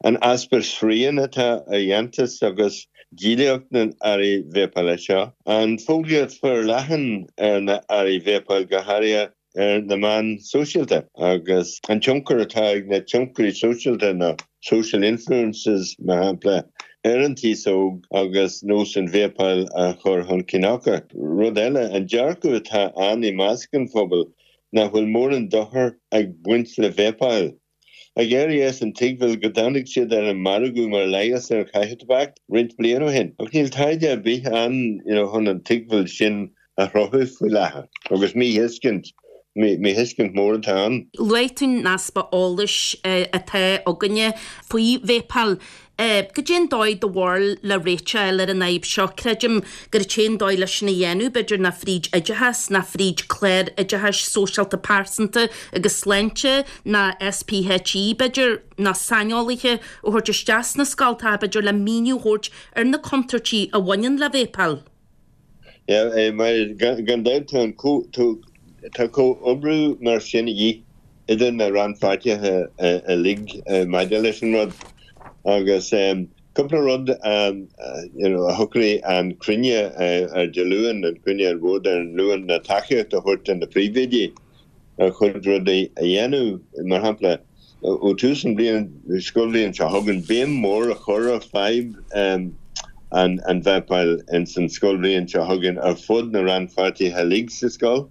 an easpa srian atá ar dhéantús agus díolaíocht na n-earraí véipeála seo, an fógraíocht forleathan ar na hearraí véipeáil go háirithe ar na meáin sóisialta, agus an tionchar atá ag na tionchairí sóisialta, na social influencers mar shampla, ar an t-aos óg agus nós an véipeáil a chur chun cinn acu. Rud eile, an dearcadh atá ann i measc an phobail nach bhfuil mórán dochair ag baint le véipeáil. Ag éirí as an tuigbheáil go dtáinig siad ar an margadh mar leigheas ar chaitheamh tobac roinnt bliain ó shin. Ach níl taighde ar bith ann you know chun an tuigbheáil sin a chruthú faoi láthair. Agus míthuiscint, míthuiscint mór atá ann. Luaigh tú an easpa eolais atá againne faoi véipeáil. Goidé an dóigh do bharúil le réiteach a fháil ar an fhadhb seo? Creidim gur an t-aon dóigh leis sin a dhéanamh, b'fhéidir, ná fríd oideachas, ná fríd clár oideachais sóisialta pearsanta agus sláinte, ná SPHE, b'fhéidir, ná saineolaithe a thabhairt isteach sna scoltacha, b'fhéidir, le míniú a thabhairt ar na contúirtí a bhaineann le véipeáil. Yeah, mar gan dabht tá an tá comhoibriú mar sin a dhíth idir na rannpháirtithe uilig maidir leis an rud agus cúpla rud you know a shocraigh an cruinniú ar Dé Luain, an cruinniú an bhoird ar an Luan ná tacaíocht a thabhairt do na príomhoidí ar chuid rudaí a dhéanamh, mar shampla ó tús an bhliain scoilbhliain seo chugainn béim mhór a chur ar fadhb an an vapáil ins an scoilbhliain seo chugainn ar fud na rannpháirtithe uilig sa scoil.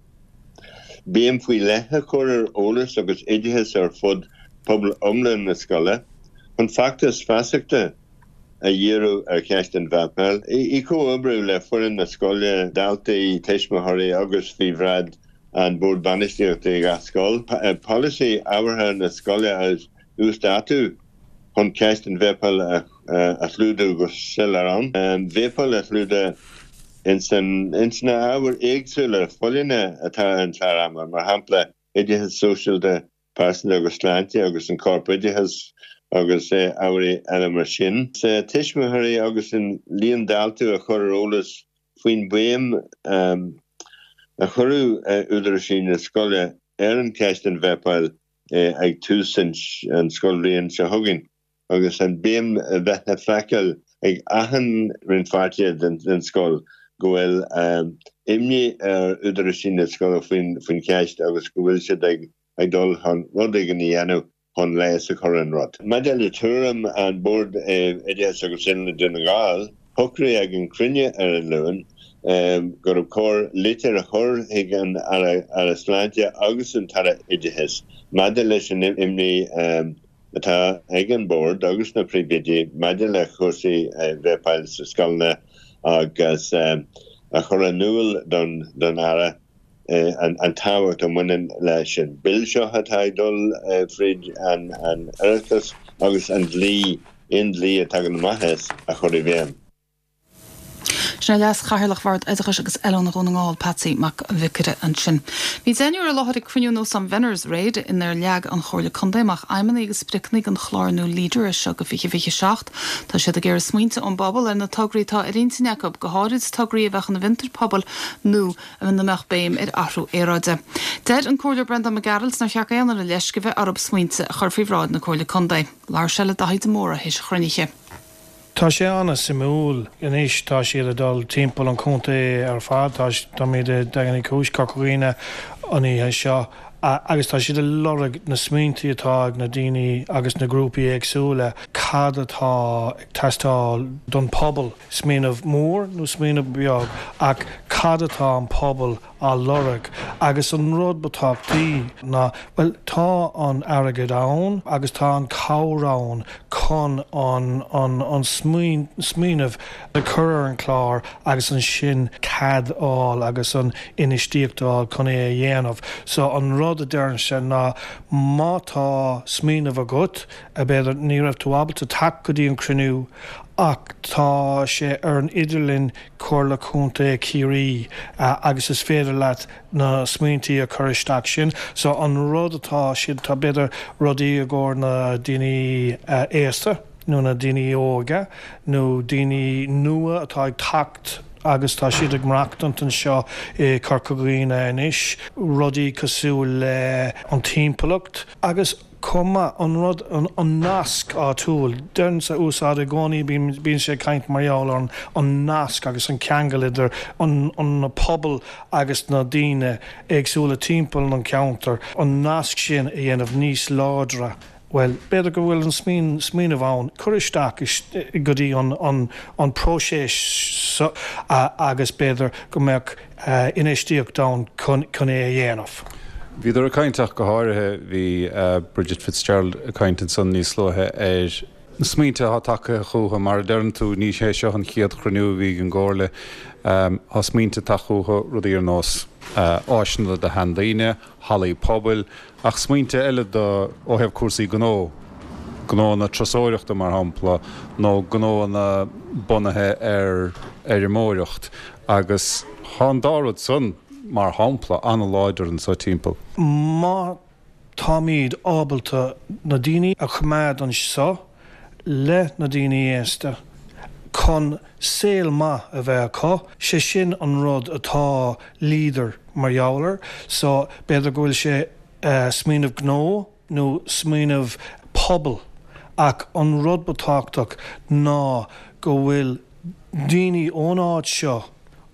Béim faoi leith a chur ar eolas agus oideachas ar fud pobal iomlán na scoile chun feachtas feasachta a dhíriú ar cheist an vapáil, i gcomhoibriú le foireann na scoile, daltaí, tuismitheoirí agus faoi bhráid an Bord Bainistíochta i gach scoil. Polasaí ábhartha na scoile a uasdátú chun ceist an vapáil a chlúdú go soiléir ann. Vapáil a chlúdú ins na ábhair éagsúla folláine atá ar an chlár ama, mar shampla oideachas sóisialta, pearsanta agus sláinte agus an corpoideachas agus ábhair eile mar sin. Tuismitheoirí agus an líon daltaí a chur ar eolas faoin béim a chuirfeadh údaráis na scoile ar an cheist an vapáil ag tús an scoilbhliain seo chugainn agus an béim a bheith le feiceáil ag achan rannpháirtí den scoil go bhfuil imní ar údaráis na scoile faoin cheist agus go bhfuil siad ag dul chun rud éigin a dhéanamh chun leigheas a chur ar an rud. Maidir le tuairim an Bord Oideachais agus Oiliúna Dún na nGall, shocraigh ag an cruinniú ar an Luan go raibh cóir litir a chur chuig an Aire Sláinte agus an tAire Oideachais maidir leis an imní atá ag an Bord agus na príomhoidí maidir le cúrsaí vapáil sa scoileanna agus a chur in iúl don Aire an tábhacht a bhaineann leis an Bill seo atá ag dul fríd an Oireachtas agus an dlí, aon dlí a tagann amach as, a chur i bhfeidhm. Sin é Leas-Chathaoirleach Bhord Oideachais agus Oiliúna Dhún na nGall, Patsy Mac an Bhiocaire ansin. Bhí deichniúr i láthair ag cruinniú in Óstán Venner's aréir inar leag an Chomhairle Contae amach aidhmeanna agus spriocanna don chlár nua Leader as seo go fiche fiche seacht. Tá siad ag iarraidh smaointe ón bpobal ar na tograí atá ar intinn acu, go háirid tograí a bheadh ina bhfiontair pobail nó ina mbeadh béim ar athrú aeráide. Deir an Comhairleoir Breandán Mac Gearailt nár cheart aon duine leisce a bheith orthu smaointe a chur faoi bhráid na Comhairle Contae. Labhair sé le Daithí de Mórdha théis an chruinnithe. Tá sé an-suimiúil. Anois tá siad ag dul timpeall an chontae ar fad, táimid i Daingean Uí Chúis, Corca Dhuibhne an oíche seo agus tá siad ag lorg na smaointe atá ag na daoine agus na grúpaí éagsúla, cad atá ag teastáil don pobal, smaoineamh mór nó smaoineamh beag ach cad atá an pobal á lorg agus an rud ba tábhachtaí ná, bhuel, tá an airgead ann agus tá an cabhair ann chun an an an smaoineamh a chur ar an chlár agus ansin cead a fháil agus an infheistíocht a fháil chun é a dhéanamh. So an rud a deirimse ná má tá smaoineamh agat, b'fhéidir ní raibh tú ábalta teacht go dtí an cruinniú ach tá sé ar an idirlíon Comhairle Contae Chiarraí agus is féidir leat na smaointí a chur isteach sin. So an rud atá siad, tá b'fhéidir rudaí i gcomhair na daoine aosta nó na daoine óga nó daoine nua atá ag teacht agus tá siad ag maireachtaint anseo i Corca Dhuibhne anois, rudaí cosúil le an timpeallacht agus chomh maith, an rud, an nasc áitiúil. Deirimse úsáid i gcónaí, bíonn sé ag caint mar gheall ar an nasc agus an ceangal idir an na pobail agus na daoine éagsúla timpeall an cheantair, an nasc sin a dhéanamh níos láidre. Bhuel, b'fhéidir go bhfuil an smaoineamh ann cur isteach go dtí an próiseas seo agus b'fhéidir go mbeadh infheistíocht ann chun é a dhéanamh. Bhíodar ag caint ach go háirithe, bhí Bridget Fitzgerald ag caint ansan níos luaithe ar na smaointe atá tagtha chucu, mar a deireann tú, ní hé seo an chéad chruinniú a bhí ag an gComhairle, tá smaointe tagtha chucu, rudaí ar nós áiseanna do sheandaoine, hallaí pobail, ach smaointe eile do ó thaobh cúrsaí gnó, gnóanna turasóireachta mar shampla, nó gnóanna bunaithe ar fheirmeoireacht agus tá an dá rud san, mar shampla, an-láidir anso timpeall. Má táimid ábalta na daoine a choimeád anseo le na daoine aosta chun saol maith a bheith acu, sé sin an rud atá Leader mar gheall air. So b'fhéidir go bhfuil sé smaoineamh gnó nó smaoineamh pobail ach an rud ba tábhachtach ná go bhfuil daoine ón áit seo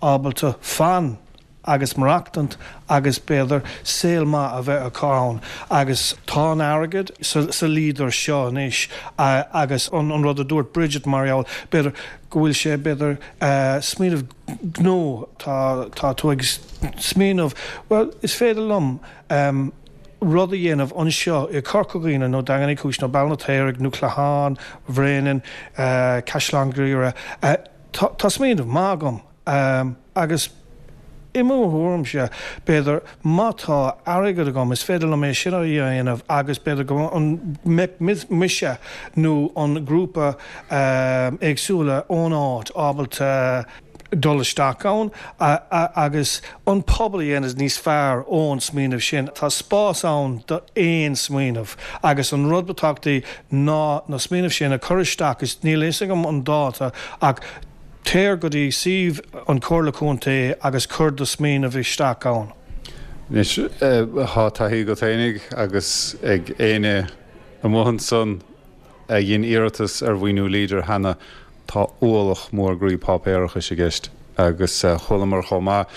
ábalta fan agus maireachtaint agus b'fhéidir saol maith a bheith acu ann agus tá an airgead sa Leader seo anois agus an rud a dúirt Bridget mar gheall b'fhéidir go bhfuil sé b'fhéidir smaoineamh gnó tá tá tú ag smaoineamh bhuel is féidir liom rud a dhéanamh anseo i Corca Dhuibhne nó Daingean Uí Chúis nó Béal an Fheirtéaraigh nó Clachán Bhréanainn Caisleán Ghriaire tá tá smaoineamh maith agam Agus i mo thuairimse, b'fhéidir, má tá airgead agam, is féidir liom é sin a dhéanamh agus b'fhéidir go mbeadh mise nó an grúpa éagsúla ón áit ábalta dul isteach ann agus an pobal a dhéanamh níos fearr ón smaoineamh sin. Tá spás ann d'aon smaoineamh agus an rud ba tábhachtaí ná na smaoineamh sin a chur isteach is níl a fhios agam an dáta ach Téir go dtí suíomh an Chomhairle Contae agus cuir do smaoineamh isteach ann. Anois, tá taithí agat fhéinig agus ag éinne amuigh ansan a dhein iarratas ar mhaoiniú Leader cheana, tá ualach mór groí páipéarachais i gceist agus chualamar chomh maith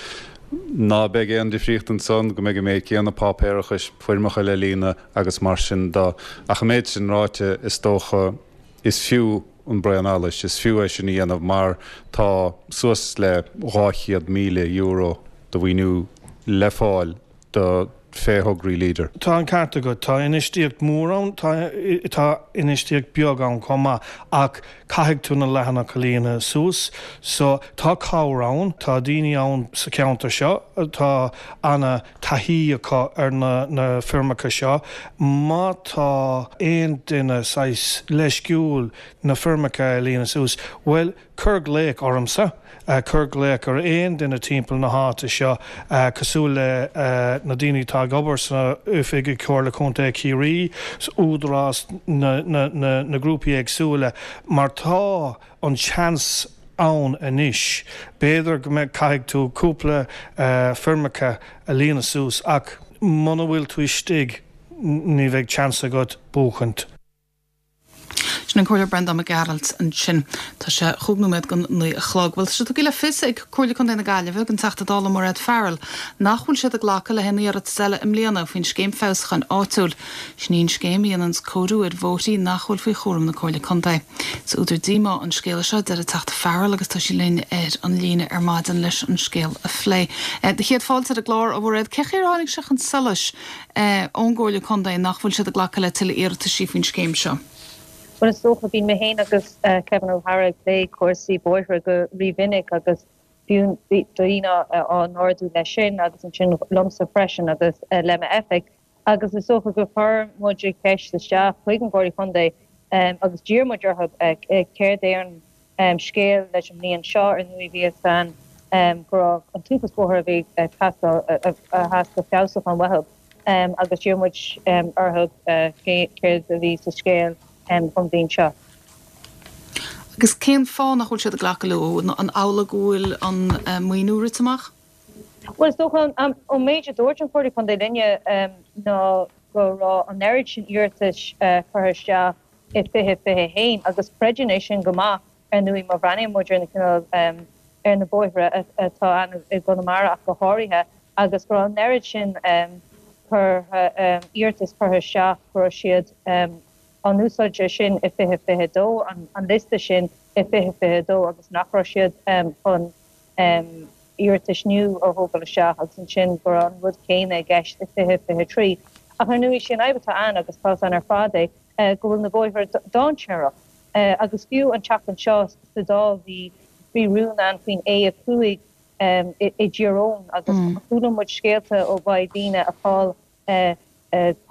Ná beidh aon difríocht ansan, go mbeidh an méid céanna páipéarachais, foirmeacha le líonadh agus mar sin de. Ach an méid sin ráite, is dócha, is fiú an braon allais, is fiú é sin a dhéanamh mar tá suas le dhá chéad míle euro de mhaoiniú le fáil do fé thograí Leader. Tá an ceart agat, tá infheistíocht mhór ann, tá tá infheistíocht beag ann chomh maith, ach caithfidh tú na leathanacha a líonadh suas. So, tá cabhair ann, tá daoine ann sa cheantar seo, tá ana taithí acu ar na na foirmeacha seo. Má tá aon duine saghas leisciúil na foirmeacha a líonadh suas, bhuel, Cuir glaoch ormsa, cuir glaoch ar aon duine timpeall na háite seo, cosúil le na daoine atá ag obair san oifig i Comhairle Contae Chiarraí, Údarás, na grúpaí éagsúla, mar tá an seans ann anois. B'fhéidir go mbeidh, caithfidh tú cúpla foirmeacha a líonadh suas ach muna bhfuil tú istigh ní bheidh seans agat buachaint. Sin an Comhairleoir Breandán Mac Gearailt ansin. Tá sé chúig nóiméad don naoi a chlog. Bhuel, tá sé tugtha le fios ag Comhairle Contae na Gaillimhe don Teachta Dála Mairéad Farrell nach bhfuil siad ag glacadh le haon iarratas eile i mbliana faoin Scéim Feabhsúcháin Áitiúil. Sin í an scéim a dhéananns cóiriú ar bhóithrí nach bhfuil faoi chúram na Comhairle Contae. Is údar díomá an scéala seo, a deir an Teachta Farrell agus tá sí linn ar an líne ar maidin leis an scéal a phlé. Do chéad fáilte ar an gclár, a Mhairéad. Cé chaoi ar tháinig sé chun solais ón gComhairle Contae nach bhfuil siad ag glacadh le tuilleadh iarrataisí faoin scéim seo? Bhuel, is dócha, bíonn mé féin agus Kevin O'Hara ag plé cúrsaí bóithre go rímhinic agus bíonn daoine á n-ardú leis sin agus ansin liomsa freisin agus le m'oifig agus is dócha gur chuir muid ceist isteach chuig an gComhairle Contae agus d'iarr muid orthu céard é an scéal leis an mbliain seo. Ar ndóigh bhí fhios againn go raibh an t-uafás bóithre a bhí ag teastáil a theastaigh feabhsúchán uathu. agus d'iarr muid orthu céard a bhí sa scéal don bhliain seo. Agus cén fáth nach bhfuil siad ag glacadh leo? An amhlaidh go bhfuil an maoiniú rite amach? Bhuel, is dócha, ón méid a dúirt an Chomhairle Contae linne ná go raibh an oiread sin iarratais curtha isteach i fiche fiche a haon agus creidim é sin go maith, ar ndóigh, má bhreathnaíonn muid ar na cineál ar na bóithre atá ann i gConamara ach go háirithe. agus go raibh an oiread sin curtha, iarratas curtha isteach, go raibh siad á n-úsáid sin i fiche fiche dó, an liosta sin i fiche fiche dó agus nach raibh siad chun iarratais nua a thógáil isteach agus ansin go raibh an rud céanna i gceist i fiche fiche trí. Ach ar ndóigh, sé an fhadhb atá ann, agus tá ann ar fad é, go bhfuil na bóithre dainséarach agus fiú an tseachtain seo sa Dáil bhí bhí rún ann faoin A a cúig i dTír Eoghain agus chuala muid scéalta ó mhaith daoine a chaill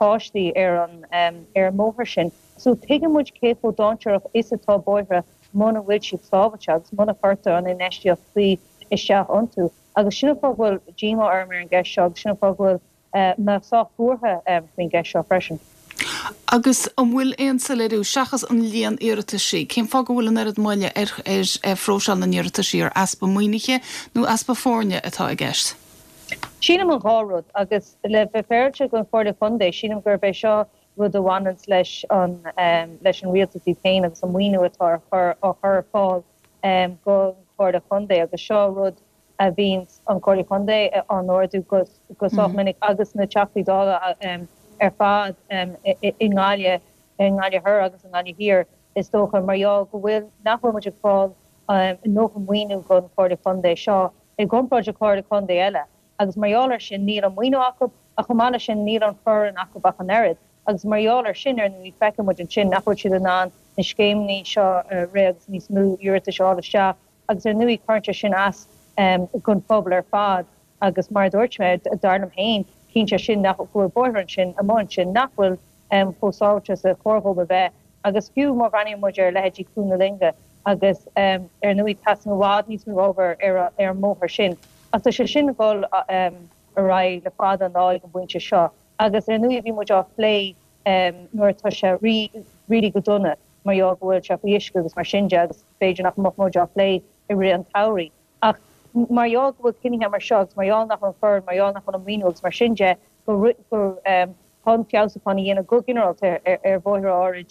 páistí ar an ar an mbóthar sin. So tuigeann muid cé chomh dainséarach is atá bóithre muna bhfuil siad sábháilte agus muna chuirtear an infheistíocht cuí isteach iontu. Agus sin an fáth go bhfuil díomá orm ar an gceist seo agus sin an fáth go bhfuil mé sách buartha faoin gceist seo freisin. Agus an bhfuil aon soiléiriú, seachas an líon iarrataisí, cén fáth go bhfuil an oiread moille ar phróiseáil na n-iarrataisí, ar easpa maoinithe nó easpa foirne atá i gceist? Sílim an dhá rud, agus le bheith féaráilte don Chomhairle Contae, sílim gurb é seo rud a bhaineanns leis an leis an rialtas iad féin agus an maoiniú atá ar chur á chur ar fáil don Chomhairle Contae agus seo rud a bhíonns an Chomhairle Contae á n-ardú go sách minic agus na Teachtaí Dála ar fad i nGaillimh, i nGaillimh Thoir agus i nGaillimh Thiar is dócha, mar gheall go bhfuil, nach bhfuil muid ag fáil a ndóthain maoiniú don Chomhairle Contae seo i gcomparáid le Comhairle Contae eile agus mar gheall air sin níl an maoiniú acu ach chomh maith leis sin níl an foireann acu ach an oiread agus mar gheall air sin ar ndóigh feiceann muid ansin nach bhfuil siad in ann na scéimeanna seo a rith agus níos mó iarratais a fháil isteach Agus ar ndóigh cuireann sé sin as don phobal ar fad agus mar a dúirt mé, dar liom féin, ciallaíonn sé sin nach go bhfuil bóithre ansin, amuigh ansin, nach bhfuil chomh sábháilte is a chóir dhóibh a bheith. Agus fiú má bhreathnaíonn muid ar leithéidí Cuan na Loinge agus ar ndóigh teastaíonn i bhfad níos mó obair ar an mbóthar sin. Ach tá sé sin ag dul ar aghaidh le fada an lá ag an bpointe seo. Agus ar ndóigh bhí muid á phlé nuair atá sé really go dona. mar gheall go bhfuil sé faoi uisce agus mar sin de agus b'fhéidir nach mbeadh muid á phlé i rith an tsamhraidh. Ach mar gheall go bhfuil cinnithe mar seo agus mar gheall nach bhfuil an foireann, mar gheall nach bhfuil an maoiniú agus mar sin de, go chun feabhsúchán a dhéanamh go ginearálta ar bhóithre áirid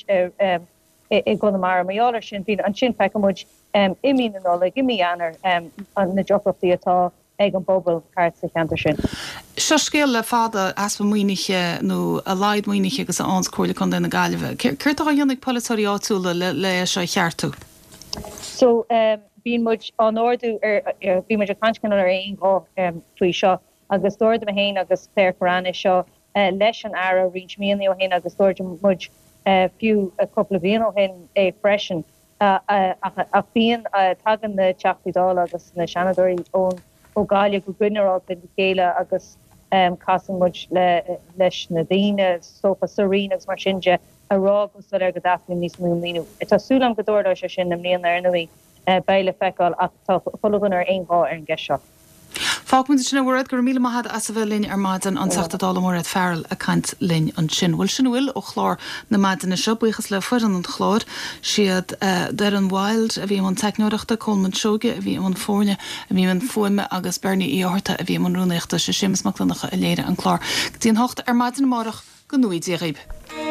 i gConamara. Mar gheall air sin, bíonn ansin feiceann muid i mí na Nollag, i mí Eanáir na deacrachtaí atá ag an bpobal thart sa cheantar sin. Seo scéal le fada, easpa maoinithe nó a laghad maoinithe agus a fhaigheanns Comhairle Contae na Gaillimhe. Céard atá á dhéanamh ag polaiteoirí áitiúla le é seo a cheartú? So bíonn muid á n-ardú ar, bíonn muid ag caint cineál ar aon ghuth faoi seo agus d'ardaigh mé féin agus Claire Kerrane é seo leis an Aire roinnt míonna ó shin agus d'ardaigh muid fiú cúpla bliain ó shin é freisin. Ach bíonn, tagann na Teachtaí Dála agus na Seanadóirí ón ó Ghaillimh go ginearálta le chéile agus casann muid leis na daoine is dócha sa Roinn agus mar sin de a rá go soiléir go dteastaíonn níos mó maoiniú. Tá súil agam go dtarlóidh sé sin i mbliana ar ndóigh, beidh le feiceáil ach tá chuile dhuine ar aon ghuth ar an gceist seo. Fágfaimid ansin é, a Mhairéad, go raibh míle maith agat as a bheith linn ar maidin, an Teachta Dála Mairéad Farrell ag caint linn ansin. Bhuel, sin a bhfuil ó chlár na maidine seo. Buíochas le foireann an chláir. Siad Doireann Wilde a bhí i mbun teicneoireachta, Colman Seoige a bhí i mbun foirne, a bhí i mbun fuaime agus Bernie Uí Fhátharta a bhí i mbun rúnaíochta. Sé Séamus Mac Donncha a léirigh an clár. Go dtí an hocht ar maidin amárach, go ngnóthaí Dia dhaoib.